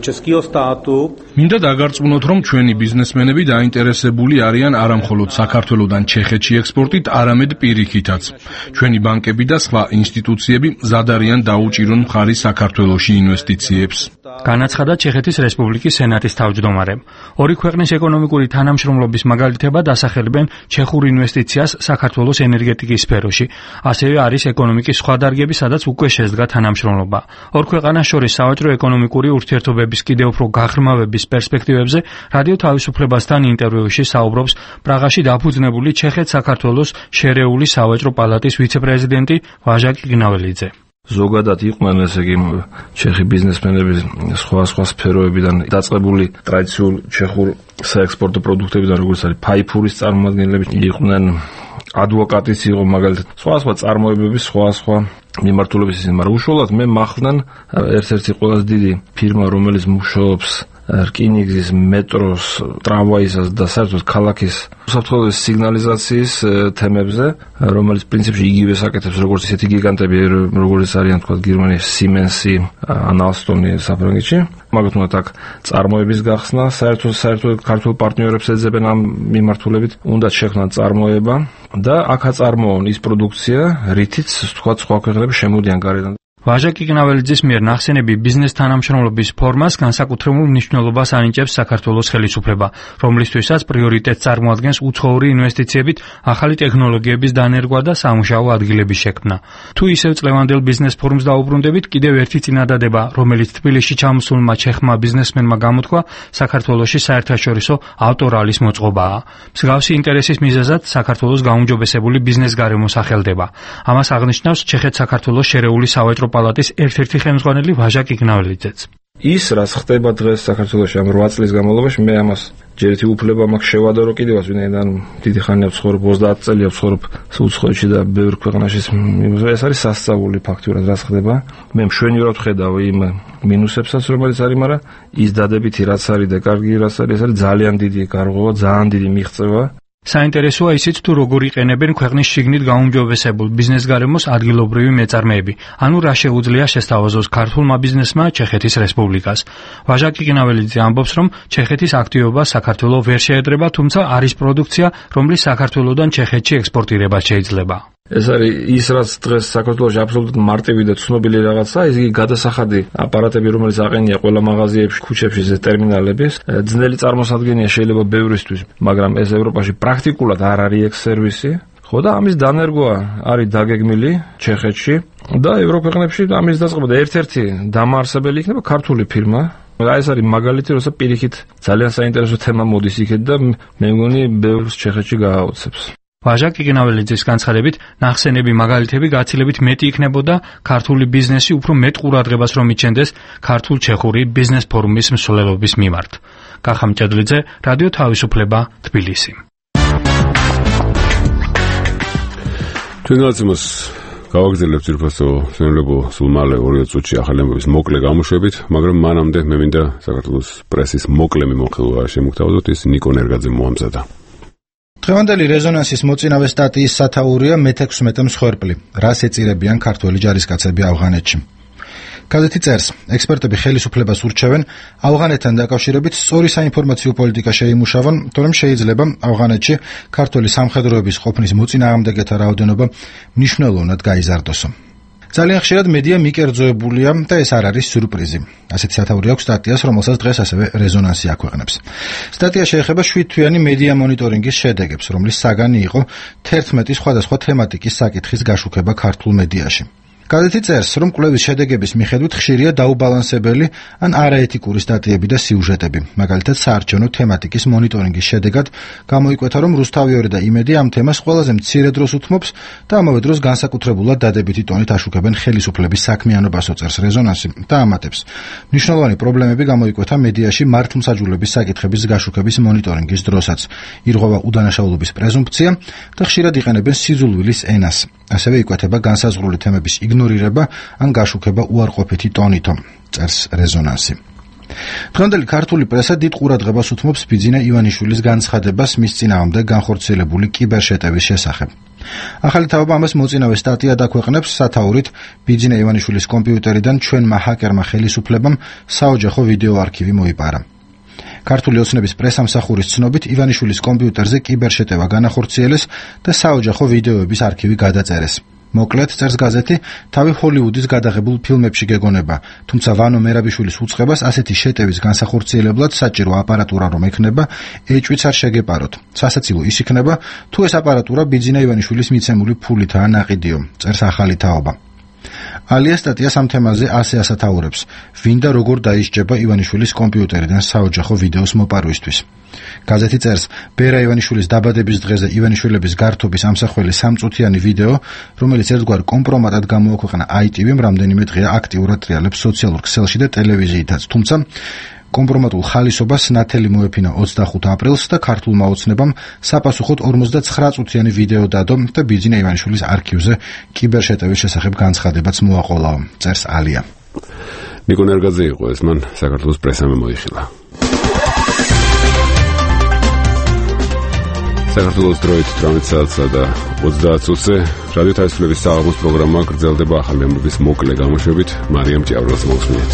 českého státu. მინდა დაგარწმუნოთ, რომ ჩვენი ბიზნესმენები დაინტერესებული არიან არა მხოლოდ საქართველოსდან ჩეხეთში ექსპორტით, არამედ პირიქითაც. ჩვენი ბანკები და სხვა ინსტიტუციები მზად არიან დაუჭირონ მხარი საქართველოში ინვესტიციებს. განაცხადა ჩეხეთის რესპუბლიკის სენატის თავმჯდომარემ. ორი ქვეყნის ეკონომიკური თანამშრომლობის მაგალითებად ასახელებენ ჩეხურ ინვესტიციას საქართველოს ენერგეტიკის სფეროში. ასევე არის ეკონომიკის სხვა დარგები, სადაც უკვე შედგა თანამშრომლობა. ორ ქვეყანას შორის სავაჭრო ეკონომიკური ურთიერთობების კიდევ უფრო გაღრმავების პერსპექტივებზე რადიო თავისუფლებასთან ინტერვიუში საუბრობს პრაღაში დაფუძნებული ჩეხეთ-საქართველოს შერეული სავაჭრო პალატის ვიცე-პრეზიდენტი ვაჟა კიგნაველიძე. ზოგადად იყვნენ ესე იგი ჩეხი ბიზნესმენები სხვა სხვა სფეროებიდან დაწყებული ტრადიციულ ჩეხურ საექსპორტო პროდუქტებიდან, როგორც არის ფაიფურის წარმოადგენლები, იყვნენ ადვოკატიც იყო მაგალითად, სხვა სხვა წარმოებების სხვა სხვა მიმართულების ისინი, მაგრამ უშუალოდ მე მახვნან ერთ-ერთი ყველაზე დიდი ფირმა, რომელიც მუშაობს რკინიგზის, მეტროს, ტრამვაისას და საერთოდ ქალაქის უსაფრთხოების სიგნალიზაციის თემებზე, რომელიც პრინციპში იგივე საკეთებს, როგორც ისეთი გიგანტები, როგორც არიან თქვა გერმანიის Siemens-ი, ან Alstom-ი საფრანგეთში. მაგათ უნდა აქ წარმოების გახსნა, საერთოდ საერთოდ ქართულ პარტნიორებს ეძებენ ამ მიმართულებით, უნდა შექმნან წარმოება და აქ აწარმოონ ის პროდუქცია, რითიც თქვა სხვა ქვეყნები შემოდიან გარედან. ვაჟა კიგნაველიძის მიერ ნახსენები ბიზნეს თანამშრომლობის ფორმას განსაკუთრებულ მნიშვნელობას ანიჭებს საქართველოს ხელისუფლება, რომლისთვისაც პრიორიტეტს წარმოადგენს უცხოური ინვესტიციებით ახალი ტექნოლოგიების დანერგვა და სამუშაო ადგილების შექმნა. თუ ისევ წლევანდელ ბიზნეს ფორუმს დაუბრუნდებით, კიდევ ერთი წინადადება, რომელიც თბილისში ჩამოსულმა ჩეხმა ბიზნესმენმა გამოთქვა, საქართველოში საერთაშორისო ავტორალის მოწყობაა. მსგავსი ინტერესის მიზეზად საქართველოს გაუმჯობესებული ბიზნეს გარემო სახელდება. ამას აღნიშნავს ჩეხეთ-საქართველოს შერეული სავაჭრო პალატის ერთ-ერთი ხელმძღვანელი ვაჟა კიგნაველიძეც. ის რაც ხდება დღეს საქართველოში ამ რვა წლის განმავლობაში, მე ამას ჯერ ერთი უფლება მაქვს შევადარო კიდევაც, ვინაიდან დიდი ხანია ვცხოვრობ, ოცდაათ წელია ვცხოვრობ უცხოეთში და ბევრ ქვეყანაში. ეს არის სასწაული ფაქტურად რაც ხდება. მე მშვენივრად ვხედავ იმ მინუსებსაც, რომელიც არის, მაგრამ ის დადებითი რაც არის და კარგი რაც არის, ეს არის ძალიან დიდი გარღვევა, ძალიან დიდი მიღწევა. საინტერესოა ისიც, თუ როგორ იყენებენ ქვეყნის შიგნით გაუმჯობესებულ ბიზნეს გარემოს ადგილობრივი მეწარმეები, ანუ რა შეუძლია შესთავაზოს ქართულმა ბიზნესმა ჩეხეთის რესპუბლიკას. ვაჟა კიგნაველიძე ამბობს, რომ ჩეხეთის აქტივობა საქართველოს ვერ შეედრება, თუმცა არის პროდუქცია, რომლის საქართველოსდან ჩეხეთში ექსპორტირება შეიძლება. ეს არის ის, რაც დღეს საქართველოში აბსოლუტურად მარტივი და ცნობილი რაღაცა, ის იგი გადასახადი აპარატები, რომელიც აყენია ყველა მაღაზიებში, ქუჩებში, ტერმინალების, ძნელი წარმოსადგენია შეიძლება ბევრისთვის, მაგრამ ეს ევროპაში პრაქტიკულად არ არის ეგ სერვისი. ხო და ამის დანერგვა არის დაგეგმილი ჩეხეთში და ევროპეყნებში ამის დაწყება და ერთ-ერთი დამაარსებელი იქნება ქართული ფირმა. აი ეს არის მაგალითი, როცა პირიქით ძალიან საინტერესო თემა მოდის იქეთ და მე მგონი ბევრს ჩეხეთში გააოცებს. ვაჟა კიგნაველიძის განცხადებით, ნახსენები მაგალითები გაცილებით მეტი იქნებოდა ქართული ბიზნესი უფრო მეტ ყურადღებას რომ იჩენდეს ქართულ-ჩეხური ბიზნეს ფორუმის მსვლელობის მიმართ. კახა მჭედლიძე, რადიო თავისუფლება, თბილისი. ჩვენ გაცემას გავაგზავნებთ ძირფასო სვენებო სულ მალე ორი წუთში ახალი ამბების მოკლე გამოშვებით, მაგრამ მანამდე მე მინდა საქართველოს პრესის მოკლე მიმოხილვა შემოგთავაზოთ, ის ნიკო ნერგაძე მოამზადა. დღევანდელი რეზონანსის მოწინავე სტატიის სათაურია მეთექვსმეტე მსხვერპლი, რას ეწირებიან ქართველი ჯარისკაცები ავღანეთში. გაზეთი წერს, ექსპერტები ხელისუფლებას ურჩევენ ავღანეთთან დაკავშირებით სწორი საინფორმაციო პოლიტიკა შეიმუშავონ, თორემ შეიძლება ავღანეთში ქართველი სამხედროების ყოფნის მოწინააღმდეგეთა რაოდენობა მნიშვნელოვნად გაიზარდოსო. ძალიან ხშირად მედია მიკერძოებულია და ეს არ არის სიურპრიზი. ასეთი სათაური აქვს სტატიას, რომელსაც დღეს ასევე რეზონანსი აქვეყნებს. სტატია შეეხება შვიდთვიანი მედია მონიტორინგის შედეგებს, რომლის საგანი იყო თერთმეტი სხვადასხვა თემატიკის საკითხის გაშუქება ქართულ მედიაში. გაზეთი წერს, რომ კვლევის შედეგების მიხედვით ხშირია დაუბალანსებელი ან არაეთიკური სტატიები და სიუჟეტები. მაგალითად, საარჩევნო თემატიკის მონიტორინგის შედეგად გამოიკვეთა, რომ რუსთავიორი და იმედი ამ თემას ყველაზე მცირე დროს უთმობს და ამავე დროს განსაკუთრებულად დადებითი ტონით აშუქებენ ხელისუფლების საქმიანობას, წერს რეზონანსი და ამატებს. მნიშვნელოვანი პრობლემები გამოიკვეთა მედიაში მართლმსაჯულების საკითხების გაშუქების მონიტორინგის დროსაც. ირღვევა უდანაშაულობის პრეზუმფცია და ხშირად იყენებენ სიძულვილის ენას. ასევე იკვეთება განსაზღვრული თემების იგნორირება ან გაშუქება უარყოფითი ტონითო, წერს რეზონანსი. დღევანდელი ქართული პრესა დიდ ყურადღებას უთმობს ბიძინა ივანიშვილის განცხადებას მის წინააღმდეგ განხორციელებული კიბერშეტევის შესახებ. ახალი თავობა ამას მოწინავე სტატია დაქვეყნებს სათაურით ბიძინა ივანიშვილის კომპიუტერიდან ჩვენმა ჰაკერმა ხელისუფლებამ საოჯახო ვიდეო არქივი მოიპარა. ქართული ოცნების პრესამსახურის ცნობით ივანიშვილის კომპიუტერზე კიბერშეტევა განახორციელეს და საოჯახო ვიდეოების არქივი გადაწერეს. მოკლედ წერს გაზეთი, თავი ჰოლივუდის გადაღებულ ფილმებში გეგონება, თუმცა ვანო მერაბიშვილის უწყებას ასეთი შეტევის განსახორციელებლად საჭირო აპარატურა რომ ექნება, ეჭვიც არ შეგეპაროთ. სასაცილო ის იქნება, თუ ეს აპარატურა ბიძინა ივანიშვილის მიცემული ფულითაა ნაყიდიო, წერს ახალი თაობა. ალია სტატიას ამ თემაზე ასე ასათაურებს, ვინ და როგორ დაისჯება ივანიშვილის კომპიუტერიდან საოჯახო ვიდეოს მოპარვისთვის. გაზეთი წერს, ბერა ივანიშვილის დაბადების დღეზე ივანიშვილების გართობის ამსახველი სამწუთიანი ვიდეო, რომელიც ერთგვარ კომპრომატად გამოაქვეყნა აი ტი ვიმ რამდენიმე დღეა აქტიურად ტრიალებს სოციალურ ქსელში და ტელევიზიითაც, თუმცა კომპრომატულ ხალისობას ნათელი მოეფინა ოცდახუთ აპრილს და ქართულმა ოცნებამ საპასუხოდ ორმოცდაცხრა წუთიანი ვიდეო დადო და ბიძინა ივანიშვილის არქივზე კიბერშეტევის შესახებ განცხადებაც მოაყოლაო, წერს ალია. ნიკო ნერგაძე იყო ეს, მან საქართველოს პრესამ მოიხილა. საქართველოს დროით ოცდაათი საათსა და ოცდაათ წუთზე რადიო თავისუფლების საღამოს პროგრამა გრძელდება ახალი ამბების მოკლე გამოშვებით. მარიამ ჭიავრელს მოусმინეთ.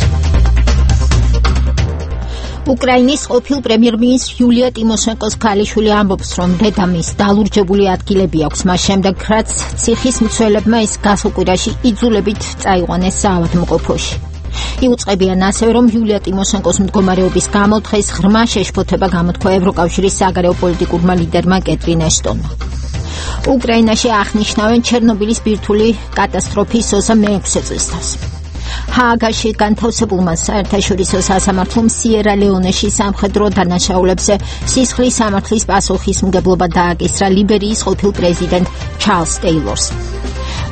უკრაინის ყოფილ პრემიერ-მინისტრ იულია ტიმოშენკოს ქალიშვილი ამბობს, რომ დედამის დალურჯებული ადგილები აქვს მას შემდეგ, რაც ციხის მცველებმა ის გასულ კვირაში იძულებით წაიყვანეს საავადმყოფოში. იუწყებიან ასევე, რომ იულია ტიმოშენკოს მდგომარეობის გამო დღეს ღრმა შეშფოთება გამოთქვა ევროკავშირის საგარეო პოლიტიკურმა ლიდერმა კეტრინ ეშტონმა. უკრაინაში აღნიშნავენ ჩერნობილის ბირთვული კატასტროფის ოცდა მეექვსე წლისთავს. ჰააგაში განთავსებულმა საერთაშორისო სასამართლომ სიერა ლეონეში სამხედრო დანაშაულებზე სისხლის სამართლის პასუხისმგებლობა დააკისრა ლიბერიის ყოფილ პრეზიდენტ ჩარლზ ტეილორს.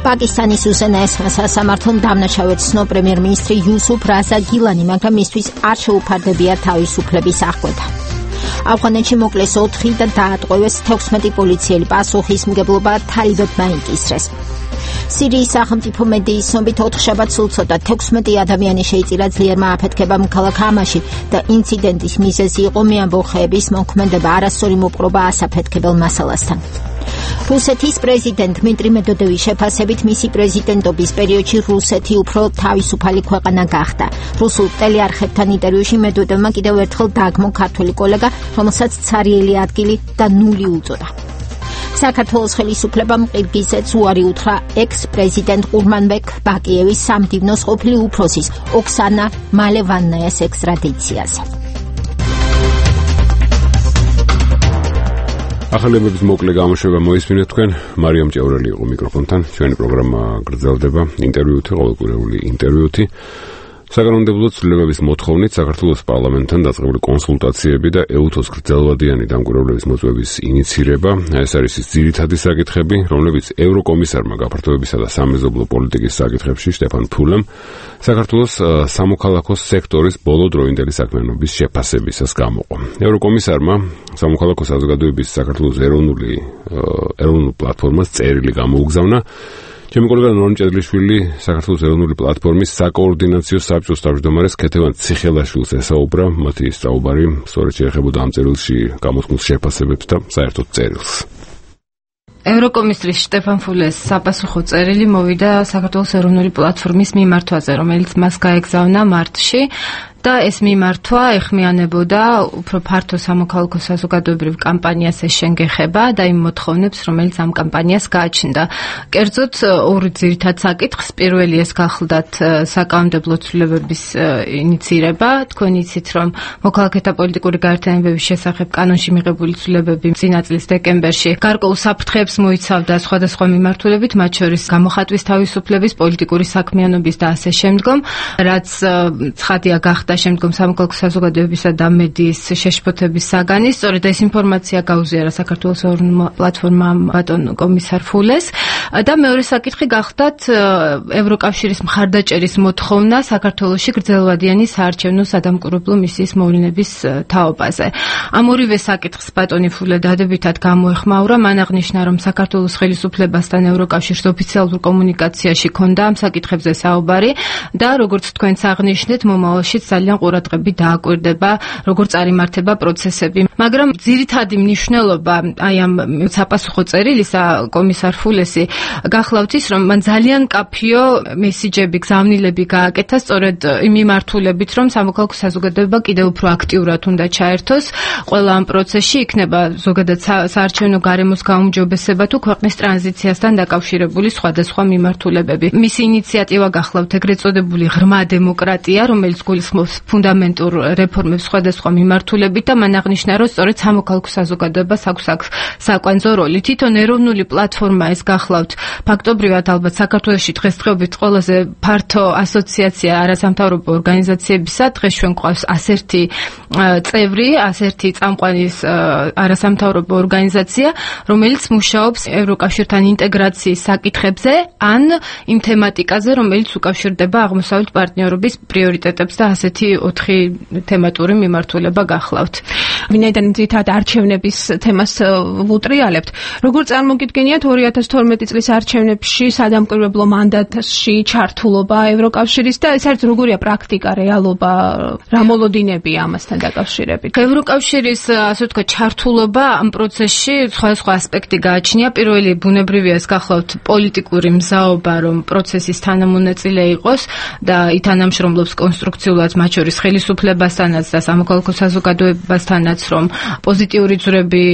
პაკისტანის უზენაესმა სასამართლომ დამნაშავედ ცნო პრემიერ-მინისტრი იუსუფ რაზა გილანი, მაგრამ მისთვის არ შეუფარდებია თავისუფლების აღკვეთა. ავღანეთში მოკლეს ოთხი და დაატყვევეს თექვსმეტი პოლიციელი, პასუხისმგებლობა თალიბებმა იკისრეს. სირიის სახელმწიფო მედიის ცნობით ოთხშაბათს სულცოდა თექვსმეტი ადამიანი შეიწირა ძლიერმა აფეთქებამ ქალაქ ჰამაში და ინციდენტის მიზეზი იყო მეამბოხეების მოქმედება, არასწორი მოპყრობა ასაფეთქებელ მასალასთან. რუსეთის პრეზიდენტ დმიტრი მედვედევის შეფასებით მისი პრეზიდენტობის პერიოდში რუსეთი უფრო თავისუფალი ქვეყანა გახდა. რუსულ ტელეარხებთან ინტერვიუში მედვედევმა კიდევ ერთხელ დაგმო ქართველი კოლეგა, რომელსაც ცარიელი ადგილი და ნული უწოდა. საქართველოს ხელისუფლებამ ყირგიზეთს უარი უთხრა ექს-პრეზიდენტ ყურმანბეკ ბაკიევის სამდივნოს ყოფილი უფროსის ოქსანა მალევანნაიას ექსტრადიციაზე. ახალი ამბების მოკლე გამოშვება მოისმინეთ თქვენ. მარიამ ჭიავრელი იყო მიკროფონთან. ჩვენი პროგრამა გრძელდება ინტერვიუთი, ყოველკვირეული ინტერვიუთი. საკანონმდებლო ცვლილებების მოთხოვნით საქართველოს პარლამენტთან დაწყებული კონსულტაციები და ეუთოს გრძელვადიანი დამკვირვებლების მოწვევის ინიცირება. ეს არის ის ძირითადი საკითხები, რომლებიც ევროკომისარმა გაფართოებისა და სამეზობლო პოლიტიკის საკითხებში შტეფან ფულემ საქართველოს სამოქალაქო სექტორის ბოლოდროინდელი საქმიანობის შეფასებისას გამოყო. ევროკომისარმა სამოქალაქო საზოგადოების საქართველოს ეროვნული ეროვნულ პლატფორმას წერილი გამოუგზავნა. ჩემი კოლეგა ნორამ ჭედლიშვილი საქართველოს ეროვნული პლატფორმის საკოორდინაციო საბჭოს თავმჯდომარეს ქეთევან ციხელაშვილს ესაუბრა, მათი საუბარი სწორედ შეეხებოდა ამ წერილში გამოთქმულ შეფასებებს და საერთოდ წერილს. ევროკომისრის შტეფან ფულეს საპასუხო წერილი მოვიდა საქართველოს ეროვნული პლატფორმის მიმართვაზე, რომელიც მას გაეგზავნა მარტში. და ეს მიმართვა ეხმიანებოდა უფრო ფართო სამოქალაქო საზოგადოებრივ კამპანიას ეშენგეხება და იმ მოთხოვნებს, რომელიც ამ კამპანიას გააჩნდა. კერძოდ ორი ძირითად საკითხს, პირველი ეს გახლდათ საკანონმდებლო ცვლილებების ინიცირება. თქვენ იცით, რომ მოქალაქეთა პოლიტიკური გაერთიანებების შესახებ კანონში მიღებული ცვლილებები წინა წლის დეკემბერში გარკვეულ საფრთხეებს მოიცავდა სხვადასხვა მიმართულებით, მათ შორის გამოხატვის თავისუფლების, პოლიტიკური საქმიანობის და ასე შემდგომ, რაც ცხადია გახდა და შემდგომ სამოქალაქო საზოგადოებისა და მედიის შეშფოთების საგანი. სწორედ ეს ინფორმაცია გაუზიარა საქართველოს ეროვნულ პლატფორმამ ბატონ კომისარ ფულეს და მეორე საკითხი გახდათ ევროკავშირის მხარდაჭერის მოთხოვნა საქართველოში გრძელვადიანი საარჩევნო სადამკვირვებლო მისიის მოვლენების თაობაზე. ამ ორივე საკითხს ბატონი ფულე დადებითად გამოეხმაურა, მან აღნიშნა, რომ საქართველოს ხელისუფლებასთან ევროკავშირის ოფიციალურ კომუნიკაციაში ქონდა ამ საკითხებზე საუბარი და როგორც თქვენც აღნიშნეთ, მომავალშიც ძალიან ყურადღებით დააკვირდება, როგორ წარიმართება პროცესები. მაგრამ ძირითადი მნიშვნელობა აი ამ საპასუხო წერილისა კომისარ ფულესი გახლავთ ის, რომ მან ძალიან კაფიო მესიჯები, გზავნილები გააკეთა სწორედ იმ მიმართულებით, რომ სამოქალაქო საზოგადოება კიდევ უფრო აქტიურად უნდა ჩაერთოს ყველა ამ პროცესში, იქნება ზოგადად საარჩევნო გარემოს გაუმჯობესება თუ ქვეყნის ტრანზიციასთან დაკავშირებული სხვადასხვა მიმართულებები. მისი ინიციატივა გახლავთ ეგრეთ წოდებული ღრმა დემოკრატია, რომელიც გულისხმობს ფუნდამენტურ რეფორმებს სხვადასხვა მიმართულებით და მან აღნიშნა, რომ სწორედ სამოქალაქო საზოგადოებას აქვს აქ საკვანძო როლი. თვითონ ეროვნული პლატფორმა ეს გახლავთ ფაქტობრივად ალბათ საქართველოში დღესდღეობით ყველაზე ფართო ასოციაცია არასამთავრობო ორგანიზაციებისა. დღეს ჩვენ გვყავს ასერთი წევრი, ასერთი წამყვანის არასამთავრობო ორგანიზაცია, რომელიც მუშაობს ევროკავშირთან ინტეგრაციის საკითხებზე ან იმ თემატიკაზე, რომელიც უკავშირდება აღმოსავლეთ პარტნიორობის პრიორიტეტებს და ასეთი ოთხი თემატური მიმართულება გახლავთ. ვინაიდან ძირითადად არჩევნების თემას ვუტრიალებთ, როგორ წარმოგიდგენიათ ორი ათას თორმეტი წლის არჩევნებში სადამკვირვებლო მანდატში ჩართულობა ევროკავშირის და ეს არის როგორია პრაქტიკა, რეალობა, რა მოლოდინებია ამასთან დაკავშირებით? ევროკავშირის ასე ვთქვათ ჩართულობა ამ პროცესში სხვადასხვა ასპექტი გააჩნია. პირველი ბუნებრივია ეს გახლავთ პოლიტიკური მზაობა, რომ პროცესის თანამონაწილე იყოს და ითანამშრომლობს კონსტრუქციულად მათ შორის ხელისუფლებასთანაც და სამოქალაქო საზოგადოებასთანაც, რომ პოზიტიური ძვრები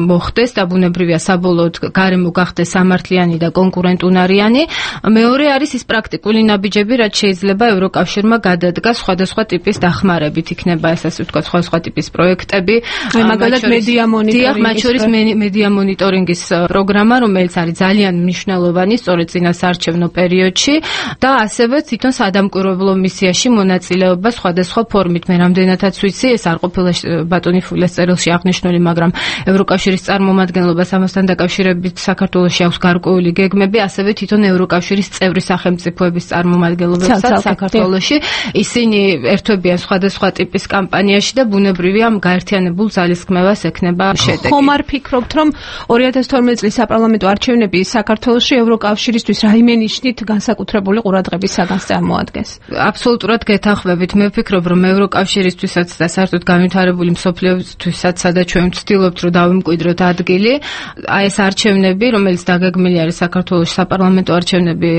მოხდეს და ბუნებრივია საბოლოოდ გარემო გახდეს სამართლიანი და კონკურენტუნარიანი. მეორე არის ის პრაქტიკული ნაბიჯები, რაც შეიძლება ევროკავშირმა გადადგას სხვადასხვა ტიპის დახმარებით. იქნება ეს ასე ვთქვათ სხვადასხვა ტიპის პროექტები, მაგალითად მედია მონიტორინგის, მათ შორის მედია მონიტორინგის პროგრამა, რომელიც არის ძალიან მნიშვნელოვანი სწორედ წინა საარჩევნო პერიოდში და ასევე თვითონ სადამკვირვებლო მისიაში მონაწილეობა სხვადასხვა ფორმით. მე რამდენადაც ვიცი, ეს არ ყოფილა ბატონი ფულეს წერილში აღნიშნული, მაგრამ ევროკავშირის წარმომადგენლობას ამასთან დაკავშირებით საქართველოში აქვს გარკვეული გეგმები, ასევე თვითონ ევროკავშირის წევრი სახელმწიფოების წარმომადგენლობებსაც საქართველოში. ისინი ერთვებიან სხვადასხვა ტიპის კამპანიაში და ბუნებრივია ამ გაერთიანებულ ძალისხმევას ექნება შედეგი. ხომ არ ფიქრობთ, რომ ორი ათას თორმეტი წლის საპარლამენტო არჩევნები საქართველოში ევროკავშირისთვის რაიმე ნიშნით განსაკუთრებული ყურადღების საგანს წარმოადგენს? აბსოლუტურად გეთანხმებით. მე ვფიქრობ, რომ ევროკავშირისთვისაც და საერთოდ განვითარებული მსოფლიოსთვისაც, სადაც ჩვენ ვცდილობთ, რომ დავიმკვიდროთ ადგილი, აი ეს არჩევნები, რომელიც დაგეგმილი არის საქართველოს საპარლამენტო არჩევნები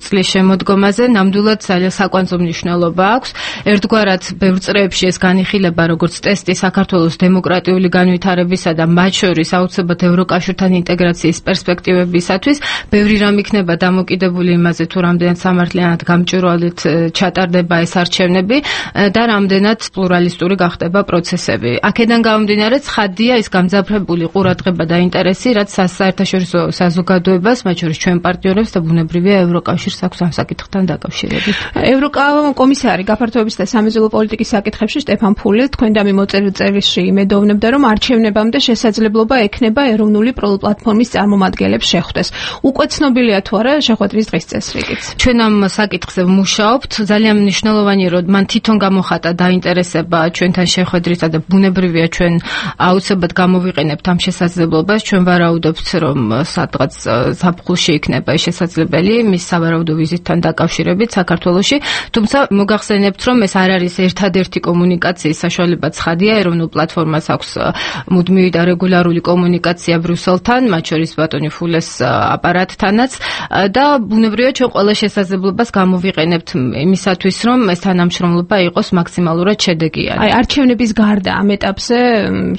წლის შემოდგომაზე, ნამდვილად ძალიან საკვანძო მნიშვნელობა აქვს. ერთგვარად ბევრ წრეებში ეს განიხილება როგორც ტესტი საქართველოს დემოკრატიული განვითარებისა და მათ შორის აუცილებლად ევროკავშირთან ინტეგრაციის პერსპექტივებისათვის. ბევრი რამ იქნება დამოკიდებული იმაზე, თუ რამდენად სამართლიანად გამჭვირვალედ ჩატარდება ეს არჩევნები და რამდენად პლურალისტური გახდება პროცესები. აქედან გამომდინარე, ცხადია ის გამძაფრებული ყურადღება და ინტერესი, რაც საერთაშორისო საზოგადოებას, მათ შორის ჩვენ პარტნიორებს და ბუნებრივია ევროკავშირს აქვს ამ საკითხთან დაკავშირებით. ევროკომისარი გაფართოების და სამეზობლო პოლიტიკის საკითხებში სტეფან ფულე თქვენ და მიმოწერილ წერილში იმედოვნებდა, რომ არჩევნებამდე შესაძლებლობა ექნება ეროვნული პლატფორმის წარმომადგენლებს შეხვდეს. უკვე ცნობილია თუ არა შეხვედრის დღის წესრიგიც? ჩვენ ამ საკითხზე ვმუშაობთ. ძალიან მნიშვნელოვანია, რომ მან თვითონ გამოხატა დაინტერესება ჩვენთან შეხვედრისა და ბუნებრივია ჩვენ აუცილებლად გამოვიყენებთ ამ შესაძლებლობას. ჩვენ ვარაუდობთ, რომ სადღაც ზაფხულში იქნება შესაძლებელი მის სავარაუდო ვიზიტთან დაკავშირებით საქართველოში. თუმცა მოგახსენებთ, რომ ეს არ არის ერთადერთი კომუნიკაციის საშუალება. ცხადია, ეროვნულ პლატფორმას აქვს მუდმივი და რეგულარული კომუნიკაცია ბრიუსელთან, მათ შორის ბატონი ფულეს აპარატთანაც და ბუნებრივია ჩვენ ყველა შესაძლებლობას გამოვიყენებთ იმისათვის, რომ ეს თანამშრომლობა იყოს მაქსიმალურად შედეგიანი. აი არჩევნების გარდა ამ ეტაპზე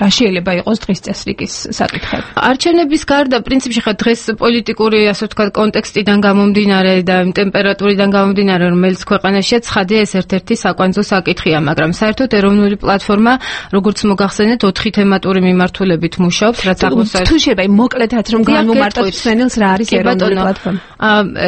რა შეიძლება იყოს დღის წესრიგის საკითხები? არჩევნების გარდა პრინციპში ხა დღეს პოლიტიკური ასე ვთქვათ კონტექსტიდან გამომდინარე და ტემპერატურიდან გამომდინარე, რომელიც ქვეყანაშია, ცხადია ეს ერთ-ერთი საკვანძო საკითხია, მაგრამ საერთოდ ეროვნული პლატფორმა, როგორც მოგახსენეთ, ოთხი თემატური მიმართულებით მუშაობს, რაც აღმოსავლეთ. თუ შეიძლება მოკლედაც რომ განვუმარტოთ სვენელს რა არის ეროვნული პლატფორმა?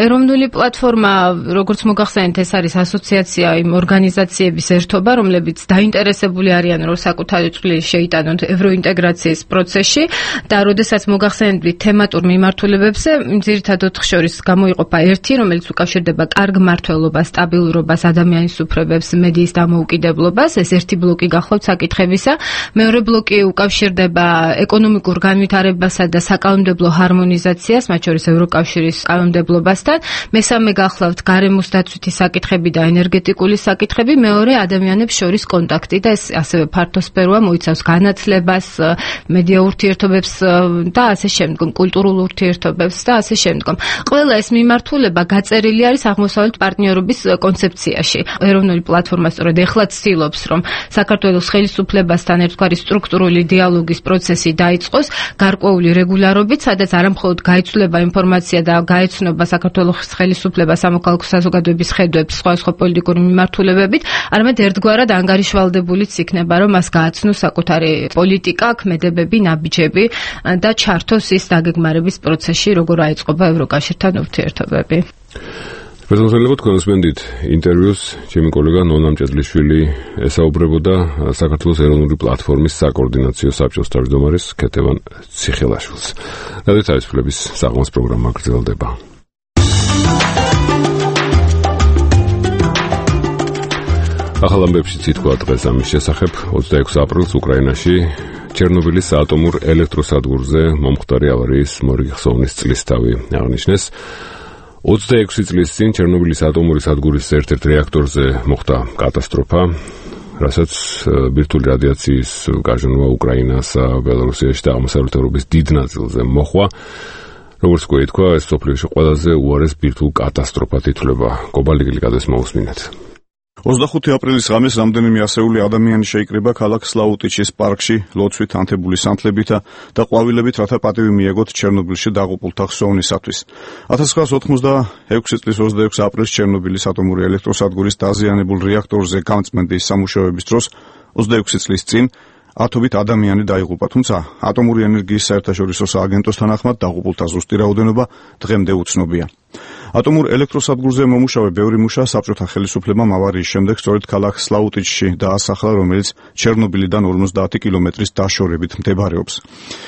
ეროვნული პლატფორმა, როგორც მოგახსენეთ, ეს არის ასოციაცია იმ ორგანიზაციების ერთობა, რომლებიც დაინტერესებული არიან, რომ საკუთარი წვლილი შეიტანონ ევროინტეგრაციის პროცესში და როდესაც მოგახსენებთ თემატურ მიმართულებებზე, ძირითადად ოთხ შორის გამოიყოფა ერთი, რომელიც უკავშირდება კარგ მმართველობას, სტაბილურობას, ადამიანის უფლებებს, მედიის დამოუკიდებლობას, ეს ერთი ბლოკი გახლავთ საკითხებისა. მეორე ბლოკი უკავშირდება ეკონომიკურ განვითარებასა და საკანონმდებლო ჰარმონიზაციას, მათ შორის ევროკავშირის კანონმდებლობასთან. მესამე გახლავთ გარემოს დაცვითი საკითხები და ენერგეტიკული საკითხები, მეორე ადამიანებს შორის კონტაქტი და ეს ასევე ფართოსფეროა, მოიცავს განათლებას, მედია ურთიერთობებს და ასე შემდგომ, კულტურულ ურთიერთობებს და ასე შემდგომ. ყველა ეს მიმართულება გაწერილი არის აღმოსავლეთ პარტნიორობის კონცეფციაში. ეროვნული პლატფორმა სწორედ ეხლა ცდილობს, რომ საქართველოს ხელისუფლებასთან ერთგვარი სტრუქტურული დიალოგის პროცესი დაიწყოს გარკვეული რეგულარობით, სადაც არამხოლოდ გაიცვლება ინფორმაცია და გაეცნობა საქართველოს ხელისუფლება სამოქალაქო საზოგადოების ხედვებს სხვადასხვა პოლიტიკური მიმართულებებით, არამედ ერთგვარად ანგარიშვალდებულიც იქნება, რომ მას გააცნოს საკუთარი პოლიტიკა, ქმედებები, ნაბიჯები და ჩართოს ის დაგეგმარების პროცესში, როგორ აიწყობა ევროკავშირთან ურთიერთობები. პრეზიდენტებო, თქვენ უსმენდით ინტერვიუს, ჩემი კოლეგა ნონა მჭედლიშვილი ესაუბრებოდა საქართველოს ეროვნული პლატფორმის საკოორდინაციო საბჭოს თავმჯდომარის ქეთევან ციხელაშვილს. რადიო თავისუფლების საღამოს პროგრამა გრძელდება. ახალ ამბებში თქვა დღეს ამის შესახებ. ოცდაექვსი აპრილს უკრაინაში ჩერნობილის ატომურ ელექტროსადგურზე მომხდარი ავარიის მორიგი ხსოვნის წლისთავი აღნიშნეს. ოცდაექვსი წლის წინ ჩერნობილის ატომური სადგურის ერთ-ერთ რეაქტორზე მოხდა კატასტროფა, რასაც ბირთვული რადიაციის გაჟონვა უკრაინასა, ბელორუსიაში და აღმოსავლეთ ევროპის დიდ ნაწილზე მოხვა. როგორც გვეთქვა, ეს მსოფლიოში ყველაზე უარეს ბირთვულ კატასტროფად ითვლება. კობალი გლიკადეს მოусმინეთ. ოცდახუთი აპრილის ღამეს რამდენიმე ასეული ადამიანი შეიკრიბა ქალაქ სლაუტიჩის პარკში ლოცვით, ანთებული სანთლებითა და ყვავილებით, რათა პატივი მიეგოთ ჩერნობილში დაღუპულთა ხსოვნისათვის. ათას ცხრაასი ოცდაექვსი წლის ოცდაექვსი აპრილს ჩერნობილის ატომური ელექტროსადგურის დაზიანებულ რეაქტორზე გამწმენდის სამუშაოების დროს ოცდაექვსი წლის წინ ათობით ადამიანი დაიღუპა, თუმცა ატომური ენერგიის საერთაშორისო სააგენტოს თანახმად დაღუპულთა ზუსტი რაოდენობა დღემდე უცნობია. ატომურ ელექტროსადგურზე მომუშავე ბევრი მუშა საბჭოთა ხელისუფლებამ ავარიის შემდეგ სწორედ ქალაქ სლაუტიჩში დაასახლა, რომელიც ჩერნობილიდან ორმოცდაათი კილომეტრის დაშორებით მდებარეობს.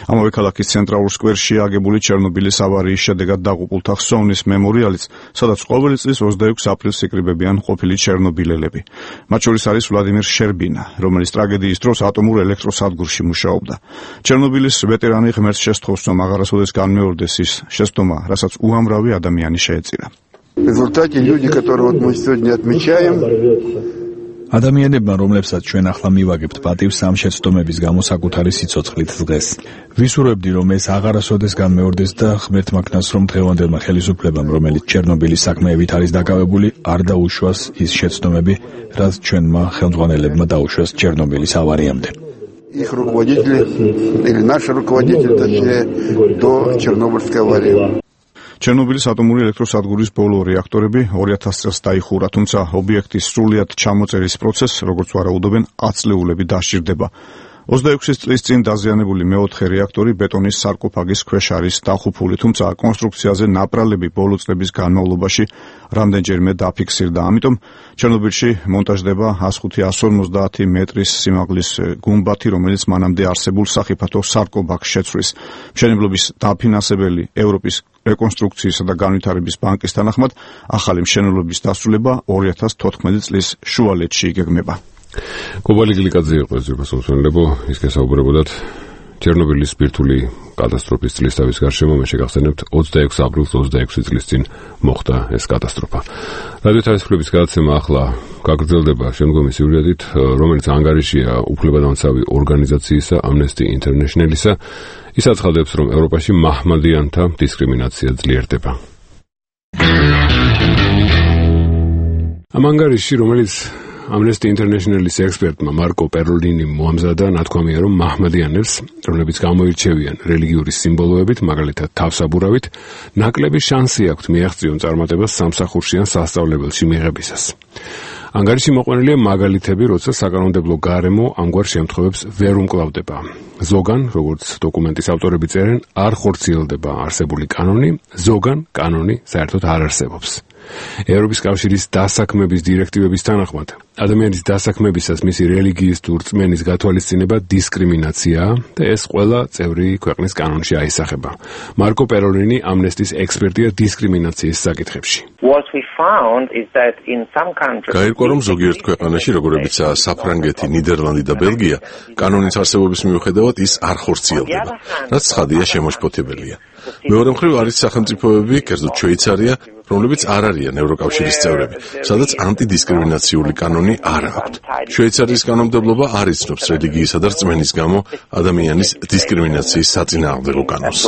ამავე ქალაქის ცენტრალურ სკვერში აგებული ჩერნობილის ავარიის შედეგად დაღუპულთა ხსოვნის მემორიალიც, სადაც ყოველი წლის ოცდაექვსი აპრილს იკრიბებიან ყოფილი ჩერნობილელები. მათ შორის არის ვლადიმირ შერბინა, რომელიც ტრაგედიის დროს ატომურ ელექტროსადგურში მუშაობდა. ჩერნობილის ვეტერანი ღმერთს შესთხოვს, რომ აღარასოდეს განმეორდეს ის შეცდომა, რასაც უამრავი ადამიანი შეეწირა. В результате люди, которые вот мы сегодня отмечаем, ადამიანებმა, რომლებსაც ჩვენ ახლა მივაგებთ პატივს ამ შეცდომების გამო საკუთარი სიცოცხლით დღეს. ვისურვებდი, რომ ეს აღარასოდეს განმეორდეს და ღმერთმა ქნას, რომ დღევანდელმა ხელისუფლებამ, რომელიც ჩერნობილის საქმეებით არის დაკავებული, არ დაუშვას ის შეცდომები, რაც ჩვენმა ხელმძღვანელებმა დაუშვას ჩერნობილის ავარიამდე. их руководители или наши руководители, точнее, до Чернобыльской аварии. ჩერნობილის ატომური ელექტროსადგურის ბოლო რეაქტორები ორი ათასი წელს დაიხურა, თუმცა ობიექტის სრულიად ჩამოწერის პროცესს, როგორც ვარაუდობენ, ათწლეულები დასჭირდება. ოცდაექვსი წლის წინ დაზიანებული მეოთხე რეაქტორი ბეტონის სარკოფაგის ქვეშ არის დახუფული, თუმცა კონსტრუქციაზე ნაპრალები ბოლო წლების განმავლობაში რამდენჯერმე დაფიქსირდა. ამიტომ ჩერნობილში მონტაჟდება ას ხუთი ას ორმოცდაათი მეტრის სიმაღლის გუმბათი, რომელიც მანამდე არსებულ სახიფათო სარკოფაგს შეცვლის. მშენებლობის დაფინანსებელი ევროპის რეკონსტრუქციისა და განვითარების ბანკის თანახმად ახალი მშენებლობის დასრულება ორი ათას თოთხმეტი წლის შუალედში იგეგმება. კობალი გლიკაძე იყო ეს რუსულენებო, ის გასაუბრებოდათ ჩერნობილის ბირთვული კატასტროფის წლისთავის გარშემო. მე შეგახსენებთ ოცდაექვსი აპრილს ოცდაექვსი წლის წინ მოხდა ეს კატასტროფა. რადიო თავისუფლების გადაცემა ახლა გაგრძელდება შემდგომი სიუჟეტით, რომელიც ანგარიშია უფლებადამცავი ორგანიზაციისა Amnesty International-ისა. ის აცხადებს, რომ ევროპაში მაჰმადიანთა დისკრიმინაცია ძლიერდება. ამ ანგარიში, რომელიც Amnesty International-ის ექსპერტმა მარკო პეროლინიმ მოამზადა, ნათქვამია, რომ მაჰმადიანებს, რომლებიც გამოირჩევიან რელიგიური სიმბოლოებით, მაგალითად თავსაბურავით, ნაკლები შანსი აქვთ მიაღწიონ წარმატებას სამსახურში ან სასწავლებელში მიღებისას. ანგარიში მოყვანილია მაგალითები, როცა საკანონმდებლო გარემო ამგვარ შემთხვევებს ვერ უმკლავდება. ზოგან, როგორც დოკუმენტის ავტორები წერენ, არ ხორციელდება არსებული კანონი, ზოგან კანონი საერთოდ არ არსებობს. ევროპის კავშირის დასაქმების დირექტივების თანახმად, ადამიანის დასაქმებისას მისი რელიგიის თუ რწმენის გათვალისწინება დისკრიმინაციაა და ეს ყველა წევრი ქვეყნის კანონში აისახება. მარკო პეროლინი ამნესტის ექსპერტია დისკრიმინაციის საკითხებში. გაირკვა, რომ ზოგიერთ ქვეყანაში, როგორებიცაა საფრანგეთი, ნიდერლანდი და ბელგია, კანონის არსებობის მიუხედავად ის არ ხორციელდება, რაც ცხადია შემოშფოთებელია. მეორე მხრივ არის სახელმწიფოები, კერძოდ შვეიცარია, რომლებიც არ არიან ევროკავშირის წევრები, სადაც ანტიდისკრიმინაციული კანონი არ აქვთ. შვეიცარიის კანონმდებლობა არ იცნობს რელიგიისა და რწმენის გამო ადამიანის დისკრიმინაციის საწინააღმდეგო კანონს.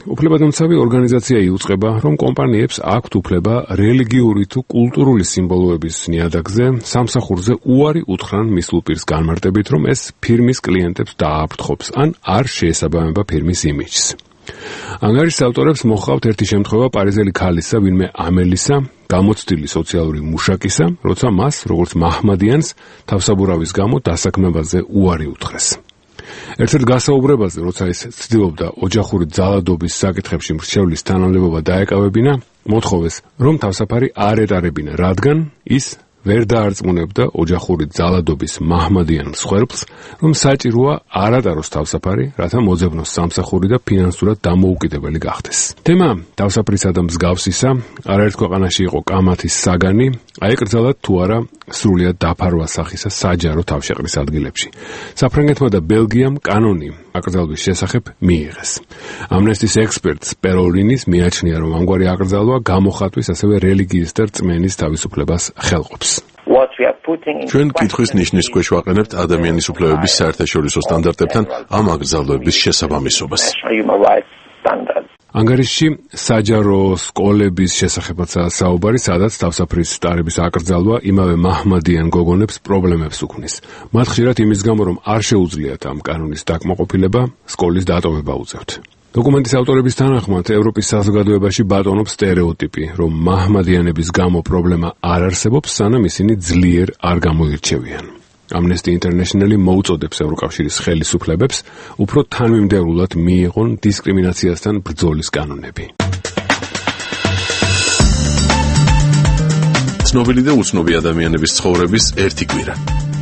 უფლებადამცავი ორგანიზაცია იუწყება, რომ კომპანიებს აქვთ უფლება რელიგიური თუ კულტურული სიმბოლოების ნიადაგზე, სამსახურზე უარი უთხრან მისულ პირს განმარტებით, რომ ეს ფირმის კლიენტებს დააფრთხობს, ან არ შეესაბამება ფირმის იმიჯს. ანგარიშის ავტორებს მოჰყავთ ერთი შემთხვევა პარიზელი ქალისა, ვინმე ამელისა, გამოცდილი სოციალური მუშაკისა, როცა მას, როგორც მაჰმადიანს, თავსაბურავის გამო დასაქმებაზე უარი უთხრეს. ერთ-ერთ გასაუბრებაზე, როცა ის ცდილობდა ოჯახური ძალადობის საკითხებში მრჩევლის თანამდებობა დაეკავებინა, მოთხოვეს, რომ თავსაფარი არ ეტარებინა, რადგან ის ვერ დაარწმუნებდა ოჯახური ძალადობის მაჰმადიან მსხვერპლს, რომ საჭიროა არ ატაროს თავსაფარი, რათა მოძებნოს სამსახური და ფინანსურად დამოუკიდებელი გახდეს. თემა თავსაფრისა და მსგავსისა, არაერთ ქვეყანაში იყო კამათის საგანი, აეკრძალათ თუ არა სრულიად დაფარვა სახისა საჯარო თავშეყრის ადგილებში. საფრანგეთმა და ბელგიამ კანონი აკრძალვის შესახებ მიიღეს. ამნესტის ექსპერტ სპეროლინის მიაჩნია, რომ ამგვარი აკრძალვა გამოხატვის ასევე რელიგიის და რწმენის თავისუფლებას ხელყოფს. ჩვენ კითხვის ნიშნის ქვეშ ვაყენებთ ადამიანის უფლებების საერთაშორისო სტანდარტებთან ამ აკრძალვების შესაბამისობას. ანგარიშში საჯარო სკოლების შესახებაცაა საუბარი, სადაც თავსაფრის ტარების აკრძალვა იმავე მაჰმადიან გოგონებს პრობლემებს უქმნის. მათ ხშირად იმის გამო, რომ არ შეუძლიათ ამ კანონის დაკმაყოფილება, სკოლის დატოვება უწევთ. დოკუმენტის ავტორების თანახმად, ევროპის საზოგადოებაში ბატონობს სტერეოტიპი, რომ მაჰმადიანების გამო პრობლემა არ არსებობს, სანამ ისინი ძლიერ არ გამოირჩევიან. Amnesty International მოუწოდებს ევროკავშირის ხელისუფლებებს უფრო თანმიმდევრულად მიიღონ დისკრიმინაციასთან ბრძოლის კანონები. ცნობილი და უცნობი ადამიანების ცხოვრების ერთი კვირა.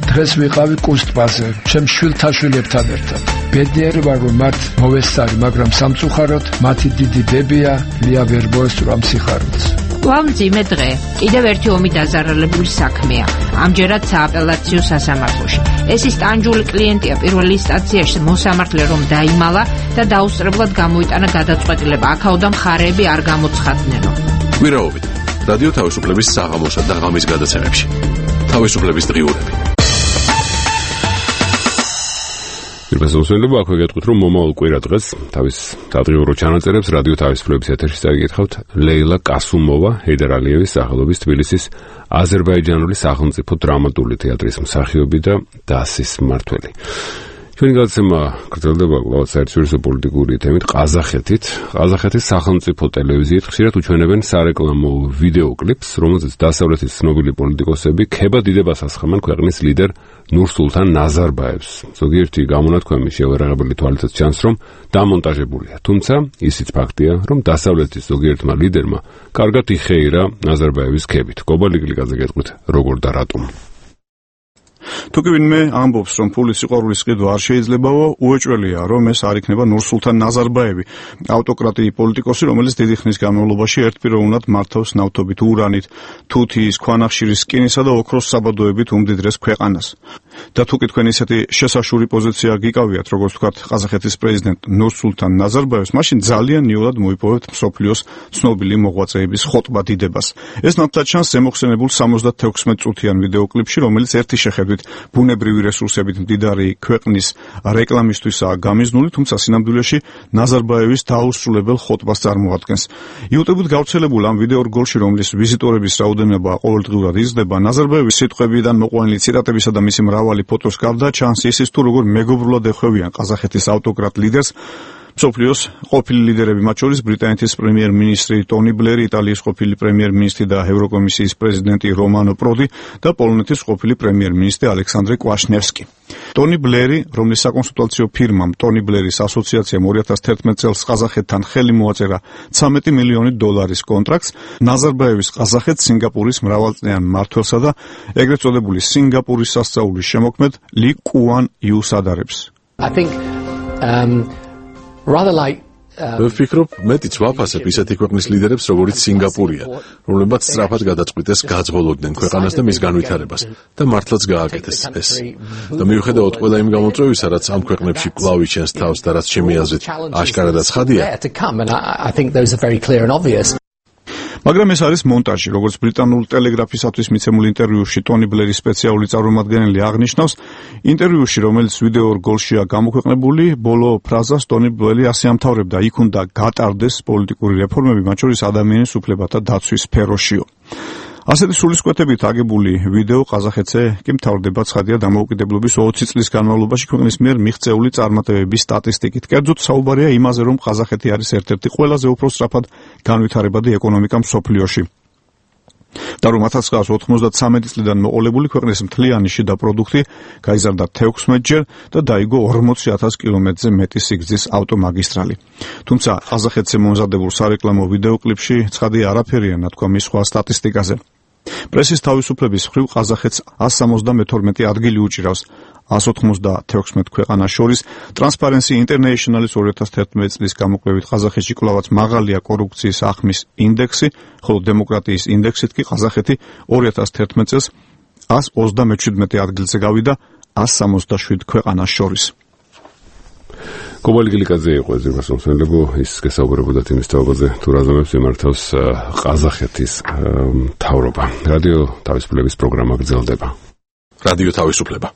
დღეს ვიყავი კუსტბაზე, ჩემ შვილთან შვილებთან ერთად. ბედნიერი ვარ, რომ მათ მოვესწარი, მაგრამ სამწუხაროდ მათი დიდი დებია, ლია ვერ მოესწრო ამ სიხარულს. მძიმე დღე. კიდევ ერთი ომი დაზარალებული საქმეა. ამჯერად სააპელაციო სასამართლოში. ეს ის ტანჯული კლიენტია პირველი ინსტანციაში მოსამართლე რომ დაიმალა და დაუსწრებლად გამოიტანა გადაწყვეტილება. აქაოდან მხარეები არ გამოცხადნენო. კვირაობით. რადიო თავისუფლების საღამოსა და ღამის გადაცემებში. თავისუფლების დღიურები. პირველსაუბრელობა აქვე გეტყვით, რომ მომავალ კვირა დღეს თავის სადღიურო ჩანაწერებს რადიო თავისუფლების ეთერში წაიგეთხოვთ ლეილა კასუმოვა, ჰეიდარ ალიევის სახელობის თბილისის აზერბაიჯანული სახელმწიფო დრამატული თეატრის მსახიობი და დასის მმართველი. ჩვენი გადაცემა გრძელდება კვლავ საერთაშორისო პოლიტიკური თემით ყაზახეთით. ყაზახეთის სახელმწიფო ტელევიზიით ხშირად უჩვენებენ სარეკლამო ვიდეო კლიპს, რომელზეც დასავლეთის ცნობილი პოლიტიკოსები ქება დიდებას ასხამენ ქვეყნის ლიდერ ნურსულთან ნაზარბაევს. ზოგიერთი გამონათქვამი შეუერაღებელი თვალითაც ჩანს, რომ დამონტაჟებულია. თუმცა ისიც ფაქტია, რომ დასავლეთის ზოგიერთმა ლიდერმა კარგად იხეირა ნაზარბაევის ქებით. გობალიგლიკაზე გეტყვით, როგორ და რატომ. თუ კი ვინმე ამბობს, რომ ფულის სიყვარულის ყიდვა არ შეიძლებაო, უეჭველია, რომ ეს არ იქნება ნურსულთან ნაზარბაევი, ავტოკრატი პოლიტიკოსი, რომელიც დიდი ხნის განმავლობაში ერთპიროვნად მართავს ნავთობით, ურანით, თუთიის, ქვანახშირის, რკინისა და ოქროს საბადოებით უმდიდრეს ქვეყანას. და თუ კი თქვენ ისეთი შესაშური პოზიცია გიკავიათ, როგორც ვთქვათ, ყაზახეთის პრეზიდენტ ნურსულთან ნაზარბაევს, მაშინ ძალიან იოლად მოიპოვებთ მსოფლიოს ცნობილი მოღვაწეების ხოტბა დიდებას. ეს ნათლად ჩანს ზემოხსენებულ სამოცდათექვსმეტ წუთიან ვიდეოკლიპში, რომელიც ერთი შეხედვით ბუნებრივი რესურსებით მდიდარი ქვეყნის რეკლამისთვისაა გამიზნული, თუმცა სინამდვილეში ნაზარბაევის დაუსრულებელ ხოტბას წარმოადგენს. იუტუბით გავრცელებულ ამ ვიდეორგოლში, რომლის ვიზიტორების რაოდენობა ყოველდღიურად იზრდება, ნაზარბაევის სიტყვებიდან მოყვანილი ციტატებისა და მისი მრავალი ფოტოს გარდა ჩანს ისიც თუ როგორ მეგობრულად ეხვევიან ყაზახეთის ავტოკრატ ლიდერს მსოფლიოს ყოფილი ლიდერები, მათ შორის ბრიტანეთის პრემიერ-მინისტრი ტონი ბლერი, იტალიის ყოფილი პრემიერ-მინისტრი და ევროკომისიის პრეზიდენტი რომანო პროდი და პოლონეთის ყოფილი პრემიერ-მინისტრი ალექსანდრე კვაშნევსკი. ტონი ბლერი, რომლის საკონსულტაციო ფირმამ ტონი ბლერის ასოციაციამ ორი ათას თერთმეტ წელს ყაზახეთთან ხელი მოაწერა ცამეტი მილიონი დოლარის კონტრაქტს, ნაზარბაევის ყაზახეთს სინგაპურის მრავალწლიან მმართველსა და ეგრეთ წოდებული სინგაპურის სასწაულის შემოქმედ ლი კუან იუს ადარებს. I think um rather like მე ვფიქრობ, მეტიც ვაფასებ ისეთი ქვეყნის ლიდერებს, როგორც სინგაპურია, რომლებმაც სწრაფად გადაწყვიტეს გაძღოლოდნენ ქვეყანას და მის განვითარებას და მართლაც გააკეთეს ეს. და მიუხედავად ყველა იმ გამოწვევისა, რაც ამ ქვეყნებში კვლავ იჩენს თავს და რაც ჩემი აზრით აშკარადაც ხადია. მაგრამ ეს არის მონტაჟი, როგორც ბრიტანულ ტელეგრაფისათვის მიცემულ ინტერვიუში ტონი ბლერის სპეციალური წარმომადგენელი აღნიშნავს, ინტერვიუში, რომელიც ვიდეო რგოლშია გამოქვეყნებული, ბოლო ფრაზას ტონი ბლერი ასე ამთავრებდა: იქ უნდა გატარდეს პოლიტიკური რეფორმები, მათ შორის ადამიანის უფლებათა დაცვის სფეროშიო. ასეთი სულისკვეთებით აგებული ვიდეო ყაზახეთზე კი მთავრდება ცხადია დამოუკიდებლობის ოცი წლის განმავლობაში ქვეყნის მიერ მიღწეული წარმატებების სტატისტიკით. კერძოდ საუბარია იმაზე, რომ ყაზახეთი არის ერთ-ერთი ყველაზე უფრო სწრაფად განვითარებადი ეკონომიკა მსოფლიოში. და რომ ათას ცხრაას ოთხმოცდათსამეტი წლიდან მოყოლებული ქვეყნის მთლიანი შიდა პროდუქტი გაიზარდა თექვსმეტჯერ და დაიგო ორმოცი ათას კილომეტრზე მეტი სიგრძის ავტომაგისტრალი. თუმცა ყაზახეთზე მომზადებულ სარეკლამო ვიდეოკლიპში ცხადია არაფერია ნათქვამი სხვა სტატისტიკაზე. პრესის თავისუფლების მხრივ ყაზახეთს ასს სამოცდამეთორმეტი ადგილი უჭირავს ასს ოთხმოცდათექვსმეტ ქვეყანას შორის. Transparency International-ის ორი ათას თერთმეტი წლის გამოკვლევით ყაზახეთში კვლავაც მაღალია კორუფციის ახმის ინდექსი, ხოლო დემოკრატიის ინდექსით კი ყაზახეთი ორი ათას თერთმეტ წელს ასს ოცდამეჩვიდმეტე ადგილზე გავიდა ასს სამოცდაშვიდ ქვეყანას შორის. კობალი გილიკაძე იყო ზირმას მომსმენლებო, ის გესაუბრებოდა იმის თაობაზე, თუ რა ზომებს იმართავს ყაზახეთის მთავრობა. რადიო თავისუფლების პროგრამა გრძელდება. რადიო თავისუფლება.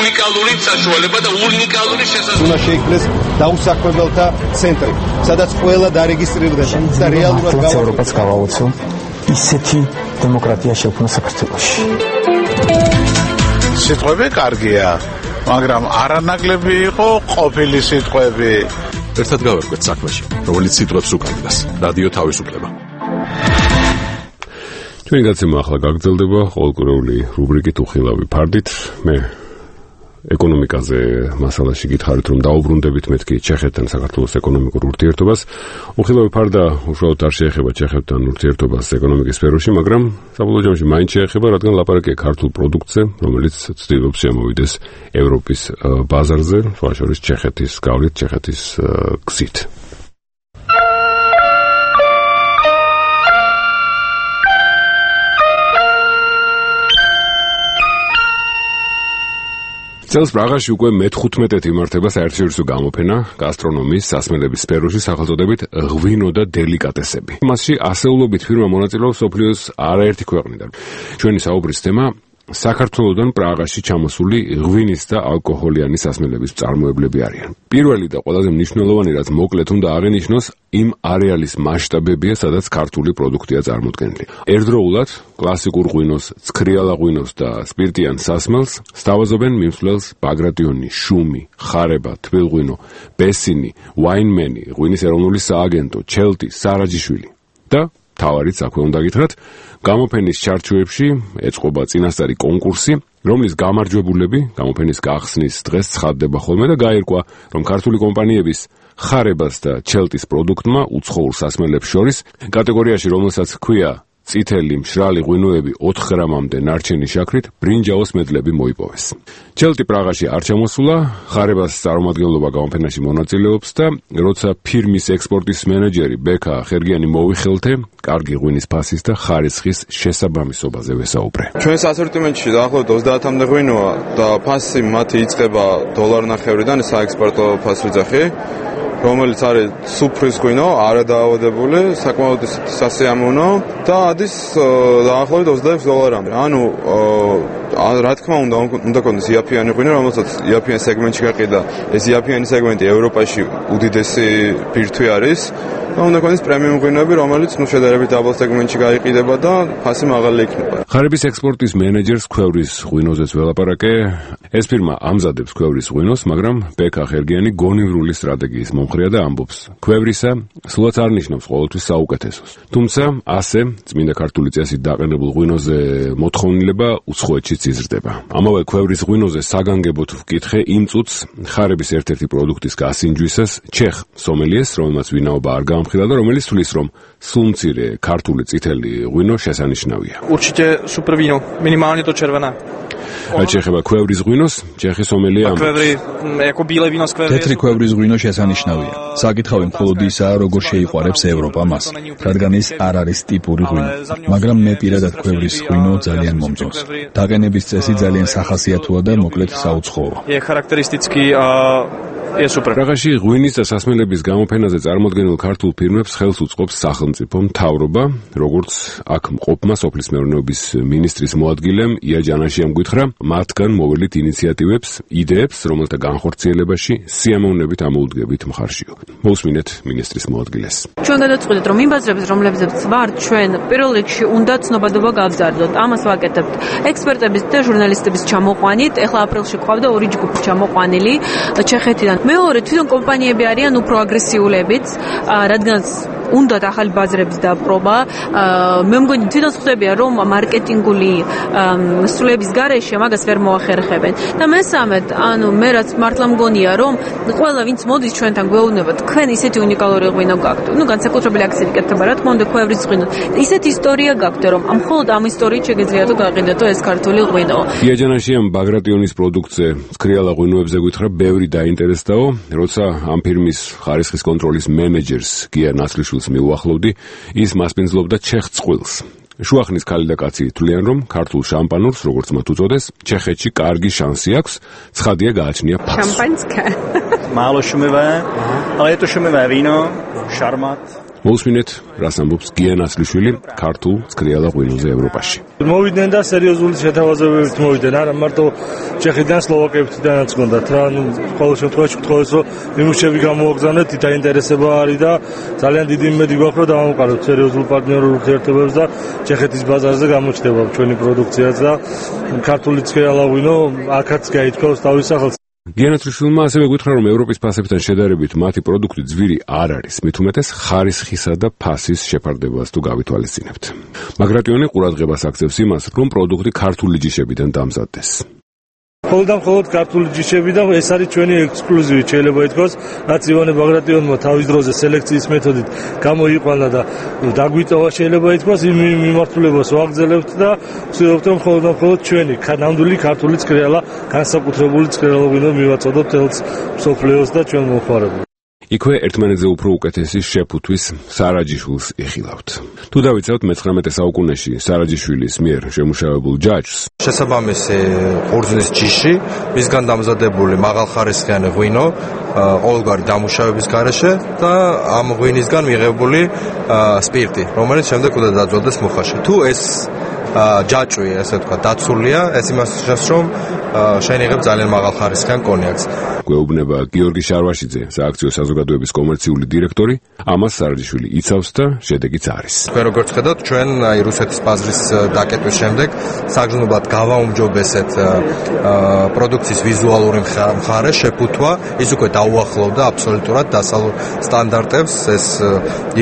უნიკალური საშუალება და უნიკალური შესაძლებლობა. უნდა შეიქმნეს დაუსაქმებელთა ცენტრი, სადაც ყველა დარეგისტრირდება და რეალურად გავაუწყოთ გავაუწყო ისეთი დემოკრატია შექმნა საქართველოში. სიტყვები კარგია, მაგრამ არანაკლები იყო ყოფილი სიტყვები. ერთად გავერკვეთ საქმეში, რომელიც სიტყვებს უკავშირდება. რადიო თავისუფლება. ჩვენი გაცემა ახლა გაგრძელდება ყოველკვირეული რუბრიკით უხილავი ფარდით. მე ეკონომიკაზე მასალაში გითხარით, რომ დაუბრუნდებით მეთქი ჩეხეთთან საქართველოს ეკონომიკურ ურთიერთობას. უხილავი ფარდა უშუალოდ არ შეეხება ჩეხეთთან ურთიერთობას ეკონომიკის სფეროში, მაგრამ საბოლოო ჯამში მაინც შეეხება, რადგან ლაპარაკია ქართულ პროდუქტზე, რომელიც ცდილობს შემოვიდეს ევროპის ბაზარზე, სხვა შორის ჩეხეთის გავლით, ჩეხეთის გზით. წელს პრაღაში უკვე მეთხუთმეტეთი იმართება საერთაშორისო გამოფენა გასტრონომიის სასმელების სფეროში სახელწოდებით ღვინო და დელიკატესები. მასში ასეულობით ფირმა მონაწილეობს მსოფლიოს არაერთი ქვეყნიდან. ჩვენი საუბრის თემა საქართველოდან პრაღაში ჩამოსული ღვინის და ალკოჰოლიანი სასმელების მწარმოებლები არიან. პირველი და ყველაზე მნიშვნელოვანი, რაც მოკლედ უნდა აღენიშნოს, იმ არეალის მასშტაბებია, სადაც ქართული პროდუქტია წარმოდგენილი. ერთდროულად კლასიკურ ღვინოს, ცქრიალა ღვინოს და სპირტიან სასმელს სთავაზობენ მიმსვლელს ბაგრატიონი, შუმი, ხარება, თბილღვინო, ბესინი, ვაინმენი, ღვინის ეროვნული სააგენტო, ჩელტი, სარაჯიშვილი და თავარიც აქვე უნდა გითხრათ, გამოფენის ჩარჩოებში ეწყობა წინასწარი კონკურსი, რომლის გამარჯვებულები გამოფენის გახსნის დღეს ცხადდება ხოლმე და გაირკვა, რომ ქართული კომპანიების ხარებას და ჩელტის პროდუქტმა უცხოურ სასმელებს შორის კატეგორიაში, რომელსაც ჰქვია წითელი მშრალი ღვინოები ოთხ გრამამდე ნარჩენი შაქრით ბრინჯაოს მედლები მოიპოვეს. ჩელტი პრაღაში არ ჩამოსულა, ხარებას წარმომადგენლობა გამოფენაში მონაწილეობს და როცა ფირმის ექსპორტის მენეჯერი ბექა ხერგიანი მოვიხელთე, კარგი ღვინის ფასის და ხარისხის შესაბამისობაზე ვესაუბრე. ჩვენს ასორტიმენტში დაახლოებით ოცდაათამდე ღვინოა და ფასი მათი იწყება დოლარნახევრიდან, საექსპორტო ფასვიძახი, რომელიც არის სუფრის ღვინო, არადაავადებული, საკმაოდ სასიამოვნო და ადის დაახლოებით ოცდაექვსი დოლარამდე. ანუ რა თქმა უნდა, უნდა კონდეს იაფიანი ღვინო, რომელსაც იაფიან სეგმენტში გაყიდა. ეს იაფიანი სეგმენტი ევროპაში უდიდესი ბირთვი არის. და უნდა კონდეს პრემიუმ ღვინოები, რომელიც ნუ შედარებით დაბალ სეგმენტში გაიყიდება და ფასი მაღალი იქნება. ხარების ექსპორტის მენეჯერს ქვევრის ღვინოზეც ველაპარაკე. ეს ფირმა ამზადებს ქვევრის ღვინოს, მაგრამ ბექა ხერგიანი გონივრული სტრატეგიის მომხრეა და ამბობს, ქვევრისა სულაც არ ნიშნავს ყოველთვის საუკეთესოს. თუმცა ასე წმინდა ქართული წესით დაყენებულ ღვინოზე მოთხოვნილება უცხოეთშიც იზრდება. ამავე ქვევრის ღვინოზე საგანგებოდ ვკითხე იმ წუთს ხარების ერთ-ერთი პროდუქტის გასინჯვისას ჩეხ სომელიეს, რომელმაც ვინაობა არ გამხილა და რომელიც თulis, რომ სულმცირე ქართული წითელი ღვინო შესანიშნავია. Určitě super víno, minimálně to červené. რაც შეეხება ქვევრის ღვინოს, ჩეხი სომელია თეთრი ქვევრის ღვინო შესანიშნავია. საკითხავი მხოლოდ ისაა, როგორ შეიყვარებს ევროპა მას, რადგან ის არ არის ტიპური ღვინო, მაგრამ მე პირადად ქვევრის ღვინო ძალიან მომწონს. დაყენების წესი ძალიან სახასიათოა და მოკლედ საუცხოო. პრაღაში ღვინის და სასმელების გამოფენაზე წარმოდგენილ ქართულ ფირმებს ხელს უწყობს სახელმწიფო მთავრობა, როგორც აქ მყოფმა სოფლის მეურნეობის მინისტრის მოადგილემ ია ჯანაშიამ გითხრა, მათგან მოველით ინიციატივებს, იდეებს, რომელთა განხორციელებაში სიამოვნებით ამოუდგებით მხარშიო. მოусმინეთ მინისტრის მოადგილეს. ჩვენ გადაწყვეტეთ, რომ იმ ბაზრებს, რომლებზეც ვართ, ჩვენ პირველ რიგში უნდა ცნობადობა გავზარდოთ. ამას ვაკეთებთ ექსპერტების და ჟურნალისტების ჩამოყვანით. ეხლა აპრილში ყავდა ორი ჯგუფი ჩამოყვანილი ჩეხეთიდან. მეორე, თვითონ კომპანიები არიან უფრო აგრესიულებიც, რადგანაც უნდათ ახალი ბაზრების დაპყრობა. მე მგონი თვითონ ხვდებიან, რომ მარკეტინგული სრულების გარეშე მაგას ვერ მოახერხებენ. და მესამედ, ანუ მე რაც მართლა მგონია, რომ ყველა ვინც მოდის ჩვენთან გვეუბნება, თქვენ ისეთი უნიკალური ღვინო გაქვთ. ნუ განსაკუთრებული აქცენტი კეთდება, რა თქმა უნდა, ქვევრის ღვინო. ისეთი ისტორია გაქვთ, რომ ამ მხოლოდ ამ ისტორიით შეგიძლიათ გაყიდეთო ეს ქართული ღვინო. ია ჯანაშიამ ბაგრატიონის პროდუქტზე ცქრიალა ღვინოებზე გითხრა, ბევრი დაინტერესდაო, როცა ამ ფირმის ხარისხის კონტროლის მენეჯერს გია ნასლიშვილს მიუახლოვდი, ის მასპინძლობდა ჩეხ წყვილს. შუახნის ქალი და კაცი თვლიან, რომ ქართულ შამპანურს, როგორც მათ უწოდეს, ჩეხეთში კარგი შანსი აქვს, ცხადია გააჩნია ფაქს. Шампанское. Мало шумевое, але это шумевое вино, шармат. მოусმინეთ, რას ამბობს გია ნასლიშვილი ქართულ ცქრიალა ღვინოზე ევროპაში. მოვიდნენ და სერიოზული შეთავაზებებით მოვიდნენ, არა მარტო ჩეხიდან, სლოვაკეთიდანაც გქონდათ რა, ნუ ყოველ შემთხვევაში გთხოვეს, რომ მიმუშები გამოვაგზავნეთ, დაინტერესება არის და ძალიან დიდი იმედი გვაქვს, რომ დავამყაროთ სერიოზულ პარტნიორულ ურთიერთობებს და ჩეხეთის ბაზარზე გამოჩნდება ჩვენი პროდუქციაც და ქართული ცქრიალა ღვინო აქაც გაითქოს თავის სახელს. გია ნასლიშვილმა ასევე გითხრა, რომ ევროპის ფასებთან შედარებით მათი პროდუქტი ძვირი არ არის, მით უმეტეს ხარისხისა და ფასის შეფარდებას თუ გავითვალისწინებთ. ბაგრატიონი ყურადღებას აქცევს იმას, რომ პროდუქტი ქართული ჯიშებიდან დამზადდეს. მხოლოდ და მხოლოდ ქართული ჯიშები და ეს არის ჩვენი ექსკლუზივი, შეიძლება ითქვას, რაც ივანე ბაგრატიონმა თავის დროზე სელექციის მეთოდით გამოიყვანა და დაგვიტოვა, შეიძლება ითქვას, იმ მიმართულებას ვაგრძელებთ და ვცდილობთ, რომ მხოლოდ და მხოლოდ ჩვენი ნამდვილი ქართული ცქრიალა, განსაკუთრებული ცქრიალა ღვინო მივაწოდოთ თელს მსოფლიოს და ჩვენ მომხმარებლებს. იქვე ერთმანეთზე უფრო უკეთესი შეფუთვის სარაჯიშვილს იხილავთ. თუ დავიცავთ მეცხრამეტე საუკუნეში სარაჯიშვილის მიერ შემუშავებულ ჯაჭვს, შესაბამისი ყურძნის ჯიში, მისგან დამზადებული მაღალხარისხიანი ღვინო, ყოველგვარი დამუშავების გარეშე და ამ ღვინისგან მიღებული სპირტი, რომელიც შემდეგ უნდა დაძვადდეს მუხაში. თუ ეს ჯაჭვი, ესე ვთქვა, დაცულია, ეს იმას ნიშნავს, რომ შეინიღებ ძალიან მაღალხარისხიან კონიაკს. გვეუბნება გიორგი შარვაშიძე, სააქციო საზოგადოების კომერციული დირექტორი, ამას სარაჯიშვილი იცავს და შედეგიც არის. თქვენ როგორც ხედავთ, ჩვენ აი რუსეთის ბაზრის დაკეტვის შემდეგ საგრძნობლად გავაუმჯობესეთ პროდუქციის ვიზუალური მხარე, შეფუთვა, ის უკვე დაუახლოვდა აბსოლუტურად დასავლურ სტანდარტებს, ეს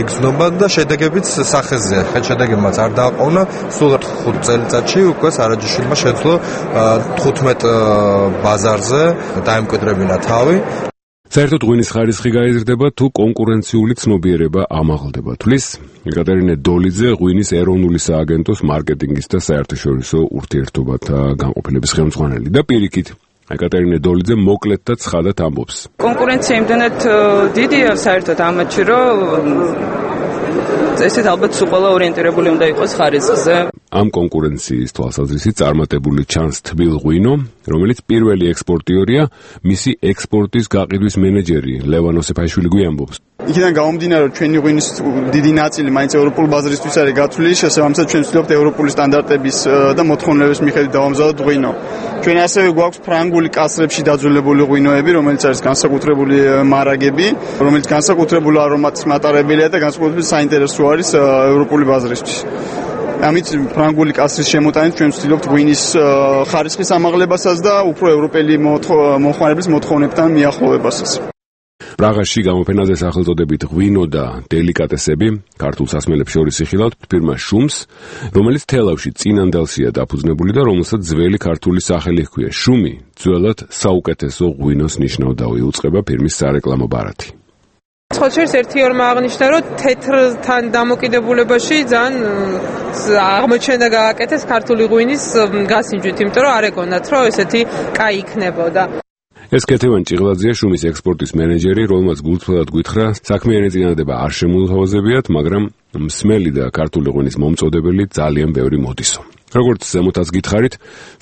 იგრძნობა და შედეგებიც სახეზეა. ხეთ შედეგებმაც არ დააყოვნა, სულ ხუთ წელიწადში უკვე სარაჯიშვილმა შეძლო თხუთმეტ ბაზარზე დაემკვიდრებინა თავი. საერთოდ ღვინის ხარისხი გაიზრდება თუ კონკურენციული ცნობიერება ამაღლდება. თulis ეკატერინე დოლიძე, ღვინის ეროვნული სააგენტოს მარკეტინგის და საერთაშორისო ურთიერთობათა განყოფილების ხელმძღვანელი და პირიქით ეკატერინე დოლიძე მოკლედ და ცხადად ამბობს. კონკურენცია იმდენად დიდია საერთოდ ამათში, რომ ესეთ ალბათ სულ ყველა ორიენტირებული უნდა იყოს ხარისხზე. ამ კონკურენციის თვალსაზრისით წარმატებული ჩანს თბილ ღვინო, რომელიც პირველი ექსპორტიორია, მისი ექსპორტის გაყიდვის მენეჯერი ლევან ოსეფაიშვილი გვიამბობს. იქიდან გამომდინარე, რომ ჩვენი ღვინის დიდი ნაწილი მაინც ევროპულ ბაზრისთვის არის გათვლილი, შესაბამისად ჩვენ ვცდილობთ ევროპული სტანდარტების და მოთხოვნილების მიხედვით დავამზადოთ ღვინო. ჩვენ ასევე გვაქვს ფრანგული კასრებში დაძველებული ღვინოები, რომელიც არის განსაკუთრებული მარაგები, რომელიც განსაკუთრებული არომატის მატარებელია და განსაკუთრებული საინტერესო არის ევროპული ბაზრისთვის. ამით ფრანგული კასრის შემოტანით ჩვენ ვცდილობთ ღვინის ხარისხის ამაღლებასაც და უფრო ევროპელი მომხმარებლის მოთხოვნებთან მიახლოვებასაც. პრაღაში გამოფენაზე სახელწოდებით ღვინო და დელიკატესები ქართულ სასმელებს შორის იხილავთ ფირმა შუმს, რომელიც თელავში წინანდელსია დაფუძნებული და რომელსაც ძველი ქართული სახელი ჰქვია. შუმი ძველად საუკეთესო ღვინოს ნიშნავდა, უწყება ფირმის სარეკლამო ბარათი. სხვა შორის ერთი ორმა აღნიშნა, რომ თეთრთან დამოკიდებულებაში ძალიან აღმოჩენა გააკეთეს ქართული ღვინის გასინჯვით, იმიტომ რომ არ ეგონათ, რომ ესეთი კაი იქნებოდა. ეს კეთევან ჭიღლაძეა, შუმის ექსპორტის მენეჯერი, რომელმაც გულწრფელად გვითხრა, საქმიანი წინადადება არ შემოუთავაზებიათ, მაგრამ მსმელი და ქართული ღვინის მომწოდებელი ძალიან ბევრი მოდისო. როგორც ზემოთაც გითხარით,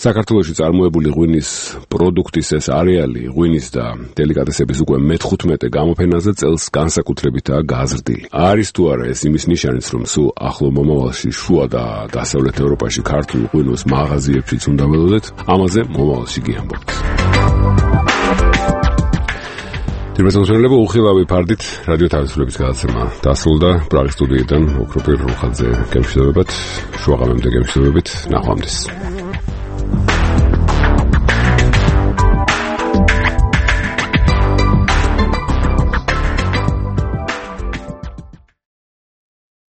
საქართველოში წარმოებული ღვინის პროდუქტის ეს არეალი ღვინის და დელიკატესების უკვე მეთხუთმეტე გამოფენაზე წელს განსაკუთრებითაა გაზრდილი. არის თუ არა ეს იმის ნიშანიც, რომ სულ ახლო მომავალში შუა და დასავლეთ ევროპაში ქართულ ღვინოს მაღაზიებშიც უნდა ველოდეთ, ამაზე მომავალში გიამბობთ. თირმესამსმენელებო, უხილავი ფარდით რადიო თავისუფლების გადაცემა დასრულდა. პრაღის სტუდიიდან ოქროპირ რუხაძე გემშვიდობებათ, შუაღამემდე გემშვიდობებით, ნახვამდის.